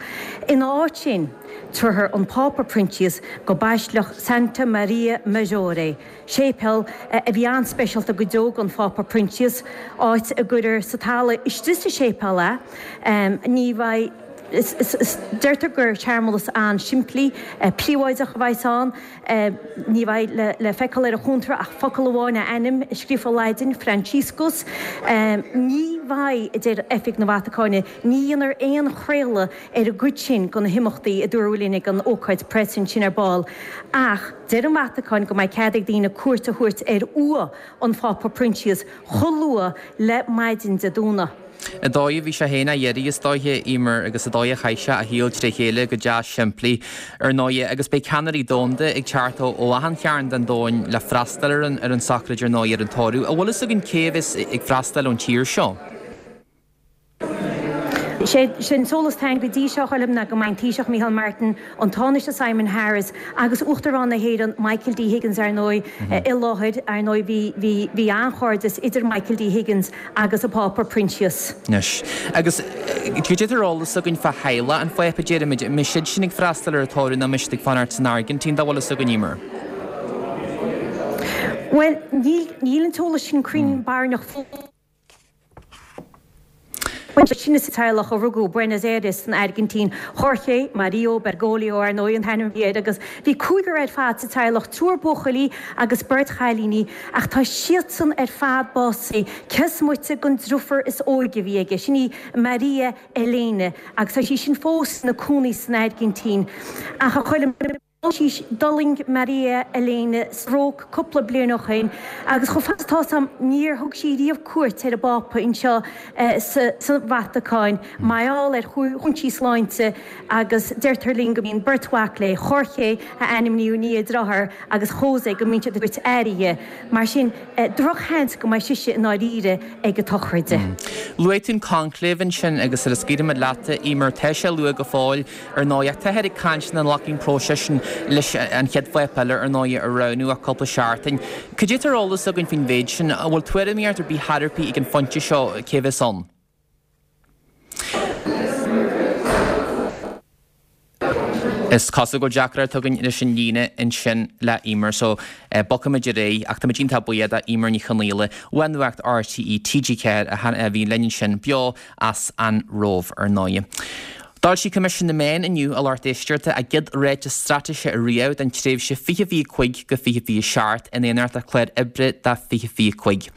Ina áit sin, tabharfar an Pápa Proinsias go Baisleac Santa Maria Maggiore, séipéal a bhí an-speisialta go deo don Phápa Proinsias, áit a gcuirfear sa talamh istigh sa séipéal é. Ní bheidh. Deirtear gur searmanas an-simplí, príobháideach a bheas ann. Ní bheidh le feiceáil ar an chóntra ach focal amháin, a ainm, scríofa i Laidin, Franciscus. Ní bheidh, a deir Oifig na Vatacáine, ní dhéanfar aon chraoladh ar an gcuid sin de na himeachtaí, a dúradh linn ag an ócáid preas ansin ar ball. Ach deir an Vatacáin go mbeidh cead ag daoine cuairt a thabhairt ar uaigh an Phápa Proinsias chomh luath le maidin Dé Domhnaigh. An dóigh a bhí sé féin á iarraidh is dóiche, Emer, agus an dóigh a chaith sé a shaol tré chéile go deas simplí, ar ndóighe, agus beidh ceannairí domhanda ag teacht ó achan chearn den domhan le freastal ar an ar an tsocraid, ar ndóighe, ar an tórramh. An bhfuil fhios againn cé a bheas ag freastal ón tír seo? Sé an t-eolas atá againn go dtí seo, a Choilm, ná go mbeidh an Taoiseach Micheál Martin, an Tánaiste Simon Harris agus Uachtarán na hÉireann Michael D Higgins, ar ndóigh, i láthair. Ar ndóigh, bhí, bhí, bhí an-chairdeas idir Michael D Higgins agus an Pápa Proinsias. Anois, agus cad é atá ar eolas againn fá theaghlach an Phápa, déarfaimid, an mbeidh siad sin ag freastal ar an tórramh nó an mbeidh siad ag fanacht san Airgintín, dá bhfuil fhios againn, Emer? Bhuel, níl, níl an t-eolas sin cruinn barainneach fós. Sin sa teaghlach a rugadh Buenos Aires san Airgintín. Jorge Mario Bergoglio, ar ndóigh, an t-ainm a bhí air agus bhí cúigear ar fad sa teaghlach, triúr buachaillí agus beirt chailíní, ach tá siadsan ar fad básaithe, cé is moite den driofúr is óige a bhí aige, sin í Maria Elena, agus tá sí sin fós ina cónaí san Airgintín. Ach a Choilm. D'fhulaing Maria Elena stróc cúpla bliain ó shin agus chomh fada is atá 'fhios a'm níor thug sí riamh cuairt ar an bPápa anseo sa Vatacáin mar gheall ar chúinsí sláinte agus deirtear linn go mbíonn beirt mhac léi, Jorge, a ainmníodh i ndiaidh a dearthár, agus Jose, go mbíonn siad ag tabhairt aire di. Mar sin, drochsheans go mbeidh sise i ndáiríre ag an tsochraid. Luaigh tú an conclave ansin agus sula scaoilfimid leat, Emer, tá sé luath go fóill. Ar ndóigh, ach táthar ag caint nach nglacfaidh an próiseas sin leis an chéad Phápa eile, ar ndóigh, a roghnú ach cúpla seachtain. Cad é atá ar eolas againn faoin mhéid sin? An bhfuil tuairimíocht ar bith thar ar bith ag an phointe seo cé a bheas ann? Is cosúil go bhfuil deacracht againn leis an líne ansin le Emer so bogfaimid ar aghaidh ach táimid iontach buíoch do Emer Ní Chonaola ó Nuacht RTÉ T G ceathair a bhí linn ansin beo as an Róimh ar ndóigh. D'fhoilsigh Coimisiún na Meán inniu, a lucht éisteachta, a gcéad ráiteas straitéise ariamh don tréimhse fiche fiche cúig go fiche fiche seacht in éineacht le clár oibre do fiche fiche cúig.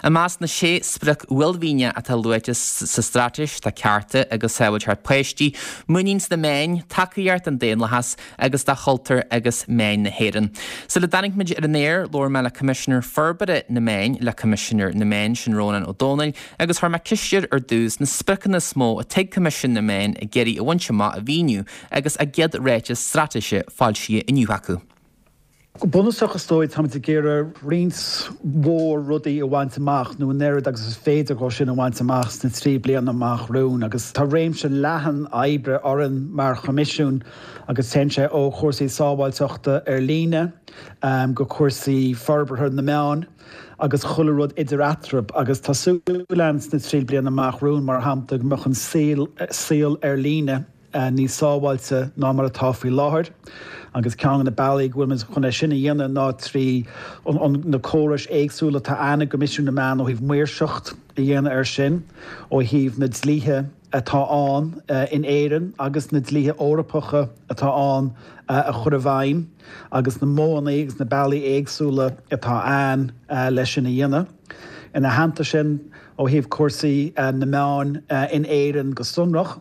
I measc na sé sprioc uaillmhianach atá luaite sa straitéis tá cearta agus sábháilteacht páistí, muinín sna meáin, tacaíocht don daonlathas agus do chultúr agus meáin na hÉireann. Sula dtáinig muid ar an aer, labhair mé le Coimisinéir Forbartha na Meán le Coimisinéir na Meán sin Rónán Ó Domhnaill agus chuir mé ceist air ar dtús na spriocanna is mó atá ag Coimisiún na Meán ag iarraidh a bhaint amach a mhíniú agus a gcéad ráiteas straitéise foilsithe inniu acu. Go bunúsach is dóigh táimid ag iarraidh roinnt mhór rudaí a bhaint amach nó an oiread agus is féidir dhó sin a bhaint amach sna trí bliana amach romhainn agus tá réimse leathan oibre orainn mar Choimisiún agus téann sé ó chúrsaí sábháilteachta ar líne go cúrsaí forbartha na meán agus chuile rud idir eatarthu agus tá súil againn sna trí bliana amach romhainn mar shampla go mbeadh an saol ar líne níos sábháilte ná mar atá faoi láthair agus ceann de na bealaí go bhfuil muid chun é sin a dhéanamh ná trí na córais éagsúla atá ann i gCoimisiún na Meán ó thaobh maoirseacht a dhéanamh air sin, ó thaobh na dlíthe atá ann in Éirinn agus na dlíthe Eorpacha atá ann a chur i bhfeidhm agus na modhanna agus na bealaí éagsúla atá ann leis sin a dhéanamh. Ina theannta sin, ó thaobh cúrsaí na meán in Éirinn go sonrach,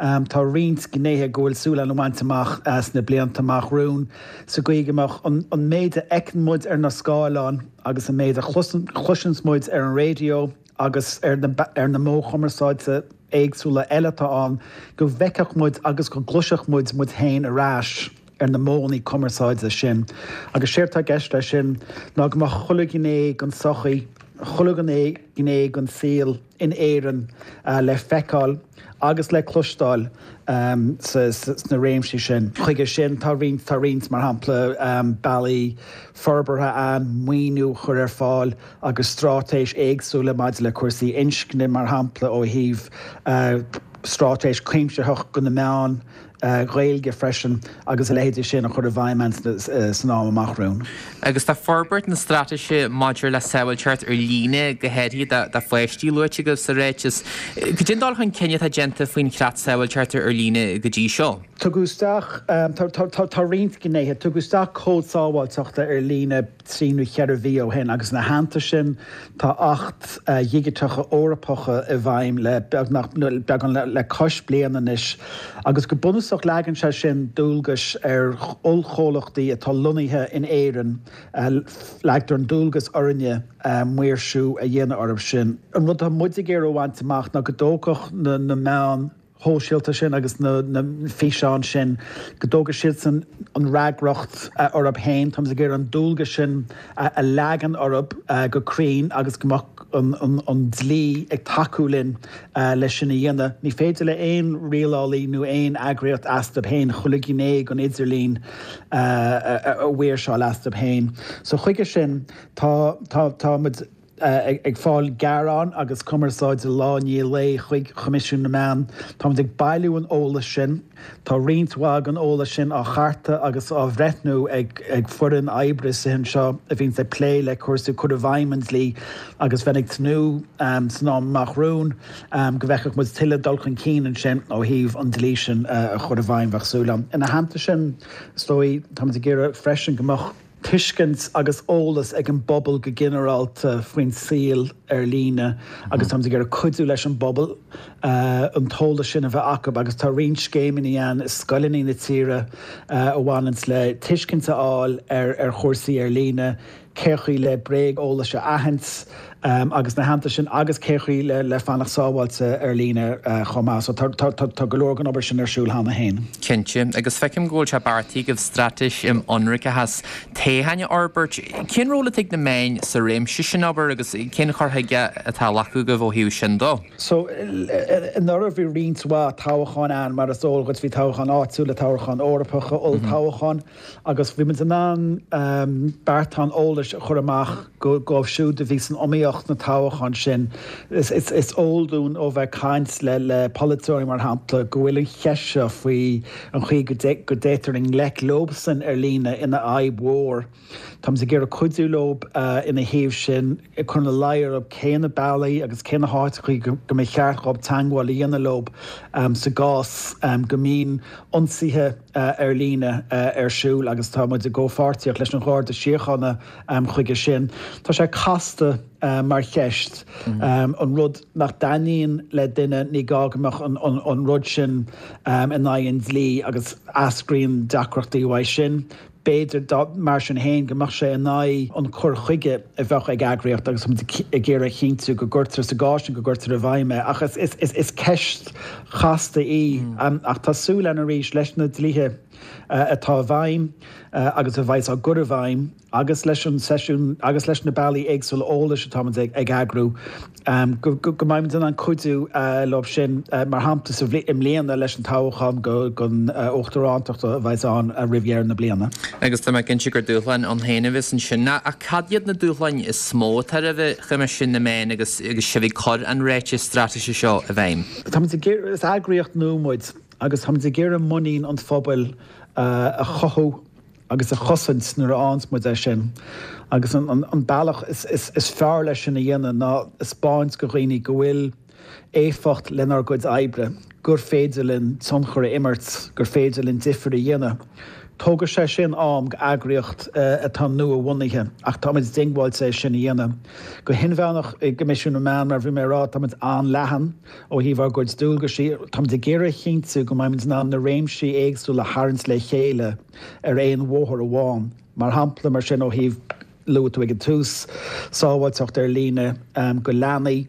Tá roinnt gnéithe go bhfuil súil againn a bhaint amach sna blianta amach romhainn sa gcaoi go mbeadh an méid a fheiceann muid ar na scáileáin agus an méid a chloiseanns muid ar an raidió agus ar na modh chumarsáide éagsúla eile atá ann, go bhfeicfeadh muid agus go gcloisfeadh muid muid féin ar ais ar na modhanna cumarsáide sin. Agus séard atá i gceist leis sin ná go mbeadh chuile ghné den tsochaí, chuile ghné den saol in Éirinn le feiceáil agus le cloisteáil sna réimsí sin. Chuige sin, tá roinnt, tá roinnt, mar shampla, bealaí forbartha ann, maoiniú a chur ar fáil agus straitéis éagsúla maidir le cúrsaí inscne, mar shampla, ó thaobh straitéis cuimsitheach do na meáin Ghaeilge freisin agus a leithéidí sin a chur i bhfeidhm san am amach romhainn. Agus tá forbairt na straitéise maidir le sábháilteacht ar líne, go háirithe do pháistí, luaite agaibh sa ráiteas. Cad é an dul chun cinn atá déanta faoin chreat sábháilteachta ar líne go dtí seo? Tugadh isteach, tá roinnt gnéithe, tugadh isteach cód sábháilteachta ar líne trí nó cheithre mhí ó shin agus ina theannta sin tá Acht Dhigiteacha Eorpacha i bhfeidhm le beagnach, beagán le cois bliana anois agus go bunúsach leagann sé sin dualgais ar ollchomhlachtaí atá lonnaithe in Éirinn, leagtar an dualgas orainne maoirsiú a dhéanamh orthu sin. An rud atá muid ag iarraidh a bhaint amach ná go dtógfadh na meáin shóisialta sin agus na físeáin sin, go dtógfaidh siadsan an fhreagracht orthu féin. Táimid ag iarraidh an dualgas sin a leagan orthu go cruinn agus go mbeadh an dlí ag tacú linn leis sin a dhéanamh. Ní féidir le aon rialálaí nó aon eagraíocht astu féin chuile ghné den idirlíon a mhaoirseáil astu féin. So chuige sin tá tá muid ag fáil gearán agus cumarsáide lá i ndiaidh lae chuig Coimisiún na Meán. Táimid ag bailiú an eolais sin. Tá roinnt mhaith den eolas sin á chartadh agus á bhreithniú ag foireann oibre istigh anseo a bhíonns ag plé le cúrsaí cur i bhfeidhm an dlí agus bheinn ag tnúth san am amach romhainn go bhfeicfeadh muid tuilleadh dul chun cinn ansin ó thaobh an dlí sin a chur i bhfeidhm, bheadh súil agam. Ina theannta sin, is dóigh, táimid ag iarraidh freisin go mbeadh tuiscint agus eolas ag an bpobal go ginearálta faoin saol ar líne agus táimid ag iarraidh cuidiú leis an bpobal an t-eolas sin a bheith acu agus tá roinnt scéimeanna ann i scoileanna na tíre a bhaineanns le tuiscint a fháil ar chúrsaí ar líne, cé chaoi le bréag-eolas a aithint agus ina theannta sin agus cé chaoi le fanacht sábháilte ar líne chomh maith. So tá go leor den obair sin ar siúl cheana féin. Cinnte, agus feicim go bhfuil sé beartaithe agaibh straitéis um ionraiceachas toghcháin a fhorbairt. Cén ról atá ag na meáin sa réimse sin obair agus cén cur chuige atá á ghlacadh agaibh ó thaobh sin dó? So anuraidh bhí roinnt mhaith toghcháin ann, mar is eol duit, bhí toghcháin áitiúla, toghcháin Eorpacha, olltoghcháin. Agus bhí muid in ann beartán eolais a chur amach dóibh siúd a bhí san iomaíocht sna toghcháin sin. Is eol dúinn ó bheith ag caint le polaiteoirí, mar shampla, go bhfuil an cheist seo faoi an chaoi go dtéitear i ngleic leobsan ar líne ina fhadhb mhór. Táimid ag iarraidh cuidiú leo ina thaobh sin, ag cur ina luí orthu cé na bealaí agus cé na háiteachaí go mba cheart dhóibh teagmháil a dhéanamh leo sa gcás go mbíonn ionsaithe ar líne ar siúl agus tá muid i gcomhpháirtíocht leis an Gharda Síochána chuige sin. Tá sé casta mar cheist. An rud nach dtaitníonn le duine ní gá go mbeadh an rud sin in aghaidh an dlí agus eascraíonn deacrachtaí uaidh sin. B'fhéidir mar sin féin go mbeadh sé in aghaidh an cur chuige a bheadh ag eagraíocht agus muid ag iarraidh a chinntiú go gcuirtear sa gcás sin go gcuirtear i bhfeidhm é. Ach is ceist chasta í. Ach tá súil againn arís leis na dlíthe atá i bhfeidhm agus a bheas á gcur i bhfeidhm agus leis an seisiún agus leis na bealaí éagsúla eolais atáimid ag eagrú, go mbeimid in ann cuidiú leo sin, mar shampla sa i mbliana leis an toghchán don uachtarántacht a bheas ann roimh dheireadh na bliana. Agus tá mé cinnte gur dúshláin ann féin a bheas ansin. Ach cad iad na dúshláin is mó atá roimh Choimisiún na Meán agus sibh ag cur an ráiteas straitéise seo i bhfeidhm? Táimid ag iarraidh, is eagraíocht nua muid agus táimid ag iarraidh muinín an phobail a chothú agus a chosaint nuair a fhaigheanns muid é sin. Agus an bealach is fearr leis sin a dhéanamh ná a 'speáint go dhaoine go bhfuil éifeacht lenár gcuid oibre, gur féidir linn tionchar a imirt, gur féidir linn difear a dhéanamh. Tógfaidh sé sin am go eagraíocht atá nua-bhunaithe ach táimid diongbháilte é sin a dhéanamh. Go hinmheánach i gCoimisiún na Meán, mar a bhí mé ag rá, táimid an-leathan ó thaobh ár gcuid dualgaisí. Táimid ag iarraidh a chinntiú go mbeimid in ann na réimsí éagsúla a tharraingt le chéile ar aon bhóthar amháin. Mar shampla, mar sin, ó thaobh, luaigh tú ag an tús, sábháilteacht ar líne go leanaí.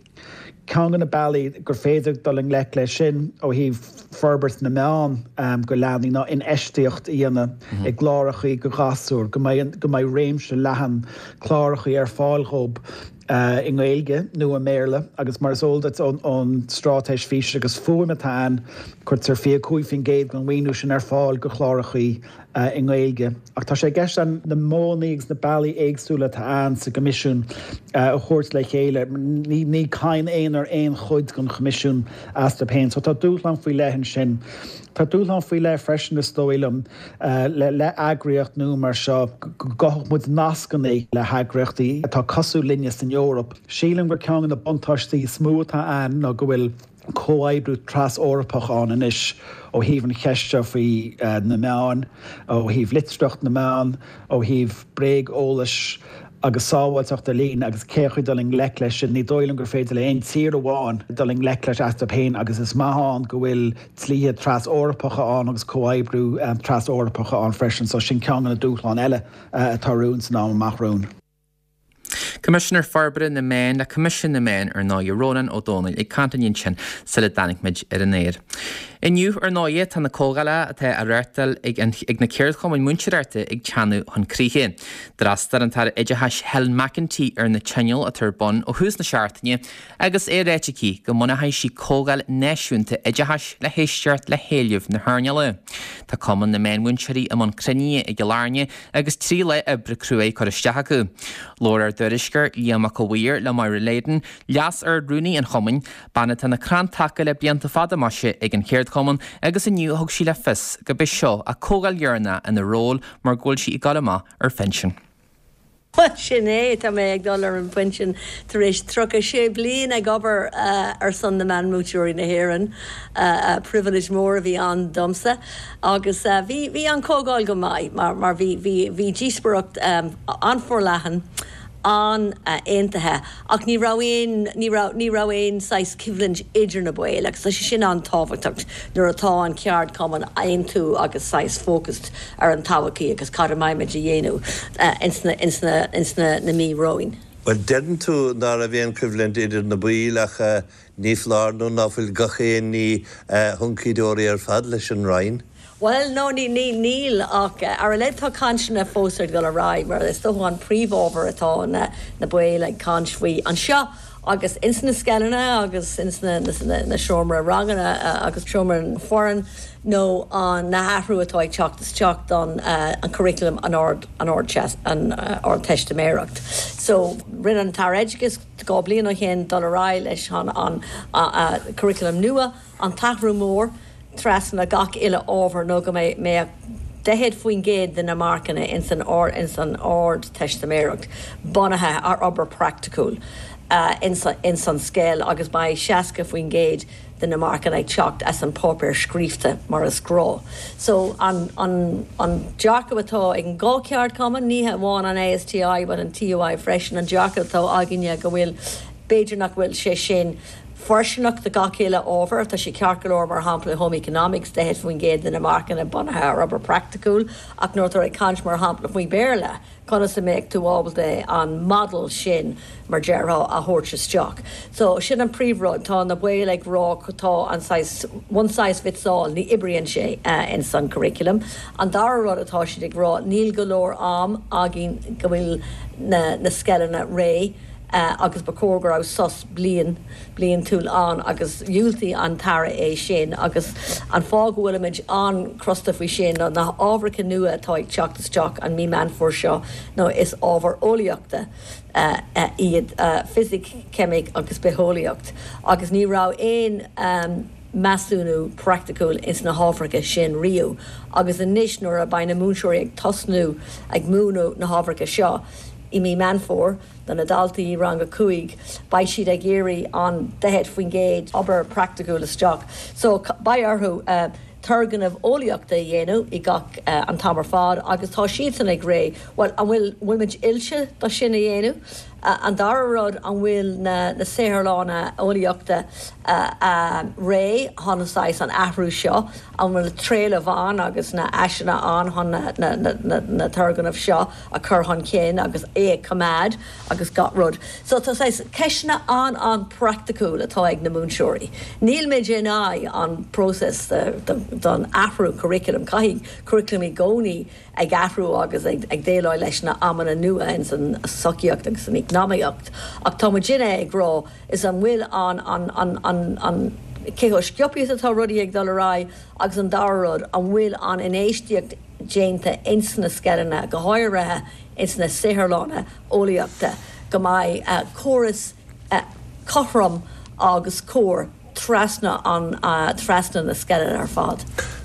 Ceann de na bealaí gur féidir dul i ngleic leis sin ó thaobh forbairt na meán go leanaí ná infheistíocht a dhéanamh i gclárachaí go ghasúir, go mbeidh go mbeidh réimse leathan clárachaí ar fáil dhób i nGaeilge nó i mBéarla agus mar is eol duit ón Straitéis Físe agus Fuaime atá ann, cuirtear fiche cúig faoin gcéad den mhaoiniú sin ar fáil go chlárachaí i nGaeilge. Ach tá sé i gceist againn na modhanna agus na bealaí éagsúla atá ann sa gCoimisiún a thabhairt le chéile. Ní cadhan aonair aon chuid den Choimisiún astu féin. So tá dúshlán faoi leith ansin. Tá dúshlán faoi leith freisin is dóigh liom le heagraíocht nua mar seo go gcothódh muid nascanna le heagraíochtaí atá cosúil linne san Eoraip. Sílim gur ceann de na buntáistí is mó atá ann ná go bhfuil comhoibriú tras-Eorpach ann anois ó thaobh an cheist seo faoi na meáin, ó thaobh litearthacht na meán, ó thaobh bréag-eolais agus sábháilteacht ar líne agus cén chaoi dul i ngleic leis sin. Ní dóigh liom gur féidir le aon tír amháin dul i ngleic leis astu féin agus is maith ann go bhfuil dlíthe tras-Eorpacha ann agus comhoibriú tras-Eorpacha ann freisin so sin ceann de na dúshláin eile atá romhainn san am amach romhainn. Coimisinéir Forbartha na Meán le Coimisiún na Meán, ar ndóigh, Rónán Ó Domhnaill ag caint linn ansin sula dtáinig muid ar an aer. Inniu, ar ndóigh, tá na comhdhálacha atá á reáchtáil ag ag na ceardchumainn múinteoireachta ag teannadh chun críche. D'fhreastail an tAire Oideachais Helen McEntee ar na tionóil atá ar bun ó thús na seachtaine agus é ráite aici go mbunóidh sí comhdháil náisiúnta oideachais le héisteacht le héilimh na hearnála. Tá Cumann na Meánmhúinteoirí i mbun cruinnithe i gCill Airne agus trí lá oibre cruaidh curtha isteach acu. Labhair ár dtuairisceoir Liam Mac a' Mhaoir le Máire Leyden, Leas-Ard-Rúnaí an chumainn, bean atá ina crann taca le blianta fada maise ag an cheardchumann agus inniu thug sí le fios gurb é seo a comhdháil dheireanach ina ról mar go bhfuil sí ag dul amach ar phinsean. Bhuel, sin é, tá mé ag dul ar an bpinsean tar éis tríocha sé bliain ag obair ar son na meánmhúinteoirí na hÉireann. Pribhléid mór a bhí ann domsa agus bhí bhí an comhdháil go maith mar mar bhí bhí bhí díospóireacht an-fhorleathan, an-aontaithe ach ní raibh aon ní raibh ní raibh aon saghas coimhlint idir na baill agus tá sé sin an-tábhachtach nuair atá an ceardchumann aontú agus saghas focused ar an todhchaí agus cad a mbeimid a dhéanamh ins na ins na ins na na mí romhainn. Bhuel, deireann tú ná raibh aon coimhlint idir na baill ach ní foláir nó ná fuil gach aon ní huncaí dóraí ar fad leis an Roinn. Bhuel, no, ní, ní, níl, ach ar a laghad tá cainteanna fós ag dul ar aghaidh, mar is dócha an príomhábhar atá na, na baill ag caint faoi anseo agus ins na scoileanna agus ins na, na, na seomra ranganna agus seomra foireann nó an, na hathrú atá ag teacht isteach don an curriculum an ard, an ard, an Ardteistiméireacht. So, rinne an tAire Oideachais dhá bliain ó shin dul ar aghaidh leis an, an curriculum nua, an t-athrú mór, trasna gach uile ábhar nó go mbeadh daichead faoin gcéad de na marcanna ins an ins an Ardteistiméireacht bunaithe ar obair praiticiúil. ins an scoil agus beidh seasca faoin gcéad de na marcanna ag teacht as an páipéar scríofa mar is gnách. So an, an, an dearcadh atá ag an dhá cheardchumann, ní hamháin an ASTI but an TUI freisin an dearcadh atá againne go bhfuil b'fhéidir nach bhfuil sé sin fóirsteanach do gach uile ábhar, tá sé ceart go leor mar shampla home economics daichead faoin gcéad de na marcanna bunaithe ar obair praiticiúil ach nuair atá ag caint mar shampla faoi Béarla, conas a mbeidh tú ábalta an model sin mar déarfá a thabhairt isteach. So sin an príomhrud tá na baill ag rá tá an size, one size fits all ní oibríonn sé uh, in san curriculum. An dara rud atá siad ag rá níl go leor am againn go bhfuil na, na scoileanna réidh uh, agus ba chóir go raibh sos bliain bliantúil ann agus dhiúltaigh an tAire é sin agus an fáth go bhfuilimid an-chrosta faoi sin ná na hábhair nua atá ag teacht isteach an mí Meán Fómhair seo nó is ábhar eolaíochta uh, uh, iad uh, fisic, ceimic agus bitheolaíocht agus ní raibh aon um, measúnú praiticiúil ins na hábhair sin riamh agus anois nuair a beidh na múinteoirí ag tosnú ag múineadh na hábhair seo i mí Meán Fómhair do na daltaí rang a cúig, beidh siad ag iarraidh an daichead faoin gcéad obair praiticiúil isteach. So beidh orthu uh, turgnamh eolaíochta a dhéanamh i gach uh, an t-am ar fad agus tá siad san ag rá, well an bhfuil bhfuil oilte do sin a dhéanamh. Uh, an dara rud an bhfuil na, na saotharlanna eolaíochta uh, uh, réidh chun an athrú seo, an bhfuil trealamh ann agus na háiseanna ann chun na, na, na, na, na turgnaimh seo a chur chun cinn agus é a choimeád agus gach rud. So tá ceisteanna an an-praiticiúil atá ag na múinteoirí. Níl muid in aghaidh an process don athrú curriculum caithfidh curriculum i gcónaí ag athrú agus ag, ag déileáil leis na amanna nua in san sochaíocht agus san eacnamaíocht. Ach tá muidinne ag rá is an bhfuil an an an an an cé chomh sciobtha atá rudaí ag dul ar aghaidh agus an dara rud an bhfuil an infheistíocht déanta ins na scoileanna go háirithe ins na saotharlanna eolaíochta go mbeidh uh, córas uh, cothrom agus cóir trasna an uh, trasna na scoileanna ar fad.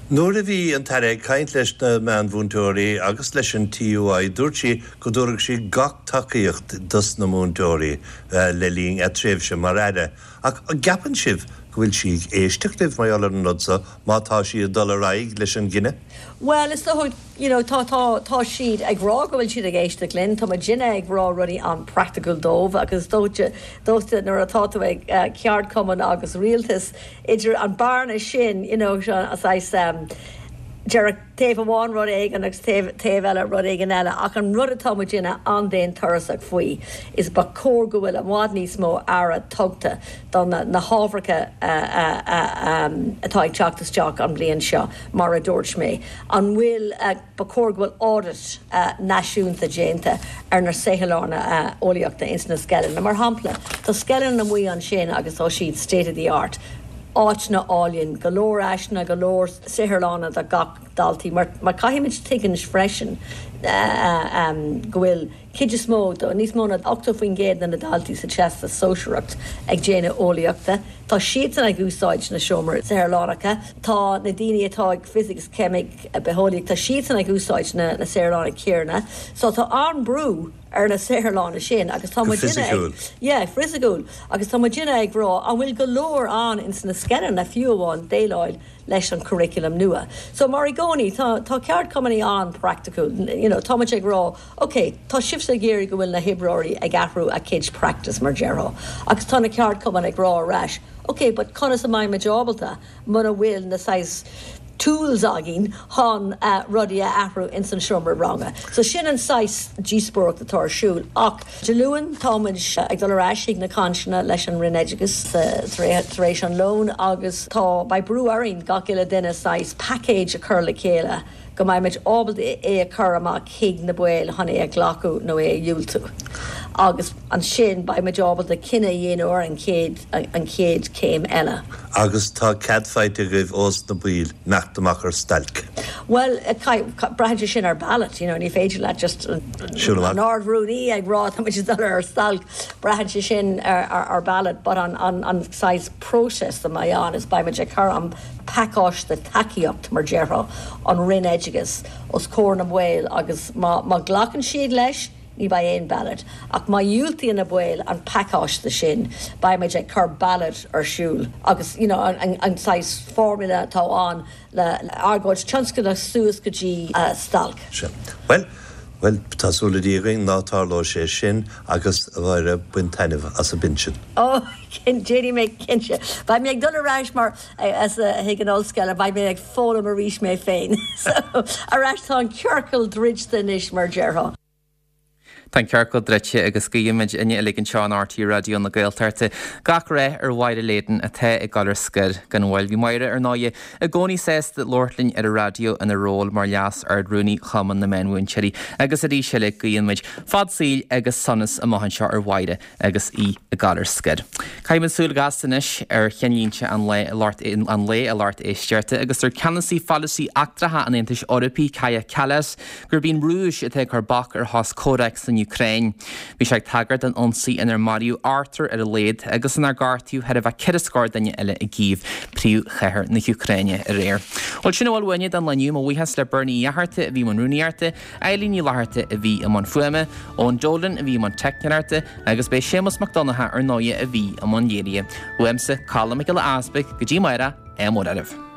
Nuair a bhí an tAire ag caint leis na meánmhúinteoirí agus leis an TUI dúirt sí go dtabharfadh sí gach tacaíocht dos na múinteoirí uh, le linn a tréimhse mar aire. Ach an gceapann sibh go bhfuil sí ag éisteacht libh mar an rud seo má tá sí ag dul ar aghaidh leis an gcinneadh? Well is dócha you know, tá tá tá siad ag rá go bhfuil siad ag éisteacht linn, Tá muidinne ag rá rudaí an-praiticiúil dóibh agus dóite dóite nuair atá tú ag uh, ceardchumann agus rialtas idir an bearna sin you know, saghas um, Deir taobh amháin rud éigin agus taobh eile rud éigin eile ach an rud atá muidinne an-daonturasach faoi is ba chóir go bhfuil i bhfad níos mó aire tugtha do na, na hábhair atá ag teacht isteach an bliain seo mar a dúirt mé. An bhfuil uh, ba chóir go bhfuil audit uh, náisiúnta déanta ar na saotharlanna uh, eolaíochta ins na scoileanna. Mar shampla, Tá scoileanna amuigh ansin agus tá siad state of the art. áiteanna álainn go leor áiseanna go leor saotharlanna do gach daltaí, mar, mar caithfimid tuiscint freisin uh, um, go bhfuil cuid is mó do níos mó ná ochtó faoin gcéad na daltaí sa teastas sóisearach ag déanamh eolaíochta. Tá siad ag úsáid na seomraí saotharlanna, Tá na daoine atá ag physics ceimic bitheolaíocht, tá siad ag úsáid na, na saotharlanna céanna, so tá an-bhrú ar na saotharlanna sin agus tá Yeah, fisiciúil agus tá muidinne ag rá an bhfuil go leor ann ins na scoileanna fiú amháin déileáil leis an curriculum nua. So mar i gcónaí tá tá ceardchumann an-praiticiúil, you know, tá ag rá, ok, tá sibhse ag iarraidh go bhfuil na hoibreoirí ag athrú a gcuid practice mar déarfá. Agus tá na ceardchumann ag rá arís. Ok, but conas a mbeidh muid ábalta muna bhfuil na saghas tools againn chun uh, rudaí a athrú in san seomra ranga. So sin an saghas díospóireacht atá ar siúl ach Dé Luain táimid ag dul ar ais ag na cainteanna leis an Roinn Oideachais tar éis an lón agus tá beidh brú orainn gach uile duine saghas package a chur le chéile go mbeimid ábalta é a chur amach chuig na baill chun é a ghlacadh nó é a dhiúltú. Agus ansin beimid ábalta cinneadh a dhéanamh ar an chéad an chéad céim eile. Agus tá cead faighte agaibh ós na baill imeacht amach ar stailc. Well braitheann sin ar ballot, you know, ní féidir le just an Ard-Rúnaí ag rá dul ar stailc braitheann sé sin ar, ar, ar ballot, but an, an, an saghas process a mbeidh ann is beimid ag cur an pacáiste tacaíocht mar déarfá an Roinn Oideachais os comhair na mball agus má, má ghlacann siad leis ní bheidh aon ballot. Ach má dhiúltaíonn na baill an pacáiste sin, beidh muid ag cur ballot ar siúl agus you know, an, an saghas formula atá ann le argóint tionscnamh suas go dtí stailc. Sea. Bhuel, bhuel, tá súil le Dia againn ná tarlóidh sé sin agus a Mháire, bain taitneamh as an bpinsean. Ó, déanfaidh mé cinnte. Beidh mé ag dul ar ais mar as chuig an ollscoil, beidh mé ag foghlaim arís mé féin. So, ar ais tá an ciorcal druidte anois mar déarfá. Tá an ciorcal druidte agus guímid uilig anseo in RTÉ Raidió na Gaeltachta gach rath ar Mháire Leyden atá ag dul ar scor gan mhoill. Bhí Máire ar ndóigh i gcónaí sásta labhairt linn ar an raidió ina ról mar Leas Ard-Rúnaí Chumann na Meánmhúinteoirí agus arís eile guímid fad saoil agus sonas amach anseo ar Mháire agus í ag dul ar scor. Caithfimid súil gasta anois ar cheannlínte an lae an lae a lucht éisteachta agus deir ceannasaí pholasaí eachtracha an Aontais Eorpaigh Kaja Kallas gurb í an Rúis atá ag cur bac ar shos comhraic san Úcráin. Bhí sé ag tagairt don ionsaí inar maraíodh ochtar ar a laghad agus inar gortaíodh thar a bheith ceithre scór duine eile i gCív, príomhchathair na hÚcráine, aréir. Bhuel, sin a bhfuil uainne don lá inniu. Mo bhuíochas le Bernie Uí Fhatharta a bhí i mbun rúnaíochta, Eileen Ní Fhlatharta a bhí i mbun fuaime, Eoin Dolan a bhí i mbun teicneoireachta agus b'é Séamus Mac Donncha ar ndóighe a bhí i mbun léirithe. Uaimse, Colm Mac Giolla Easpaig, go dtí amárach, ádh mór oraibh.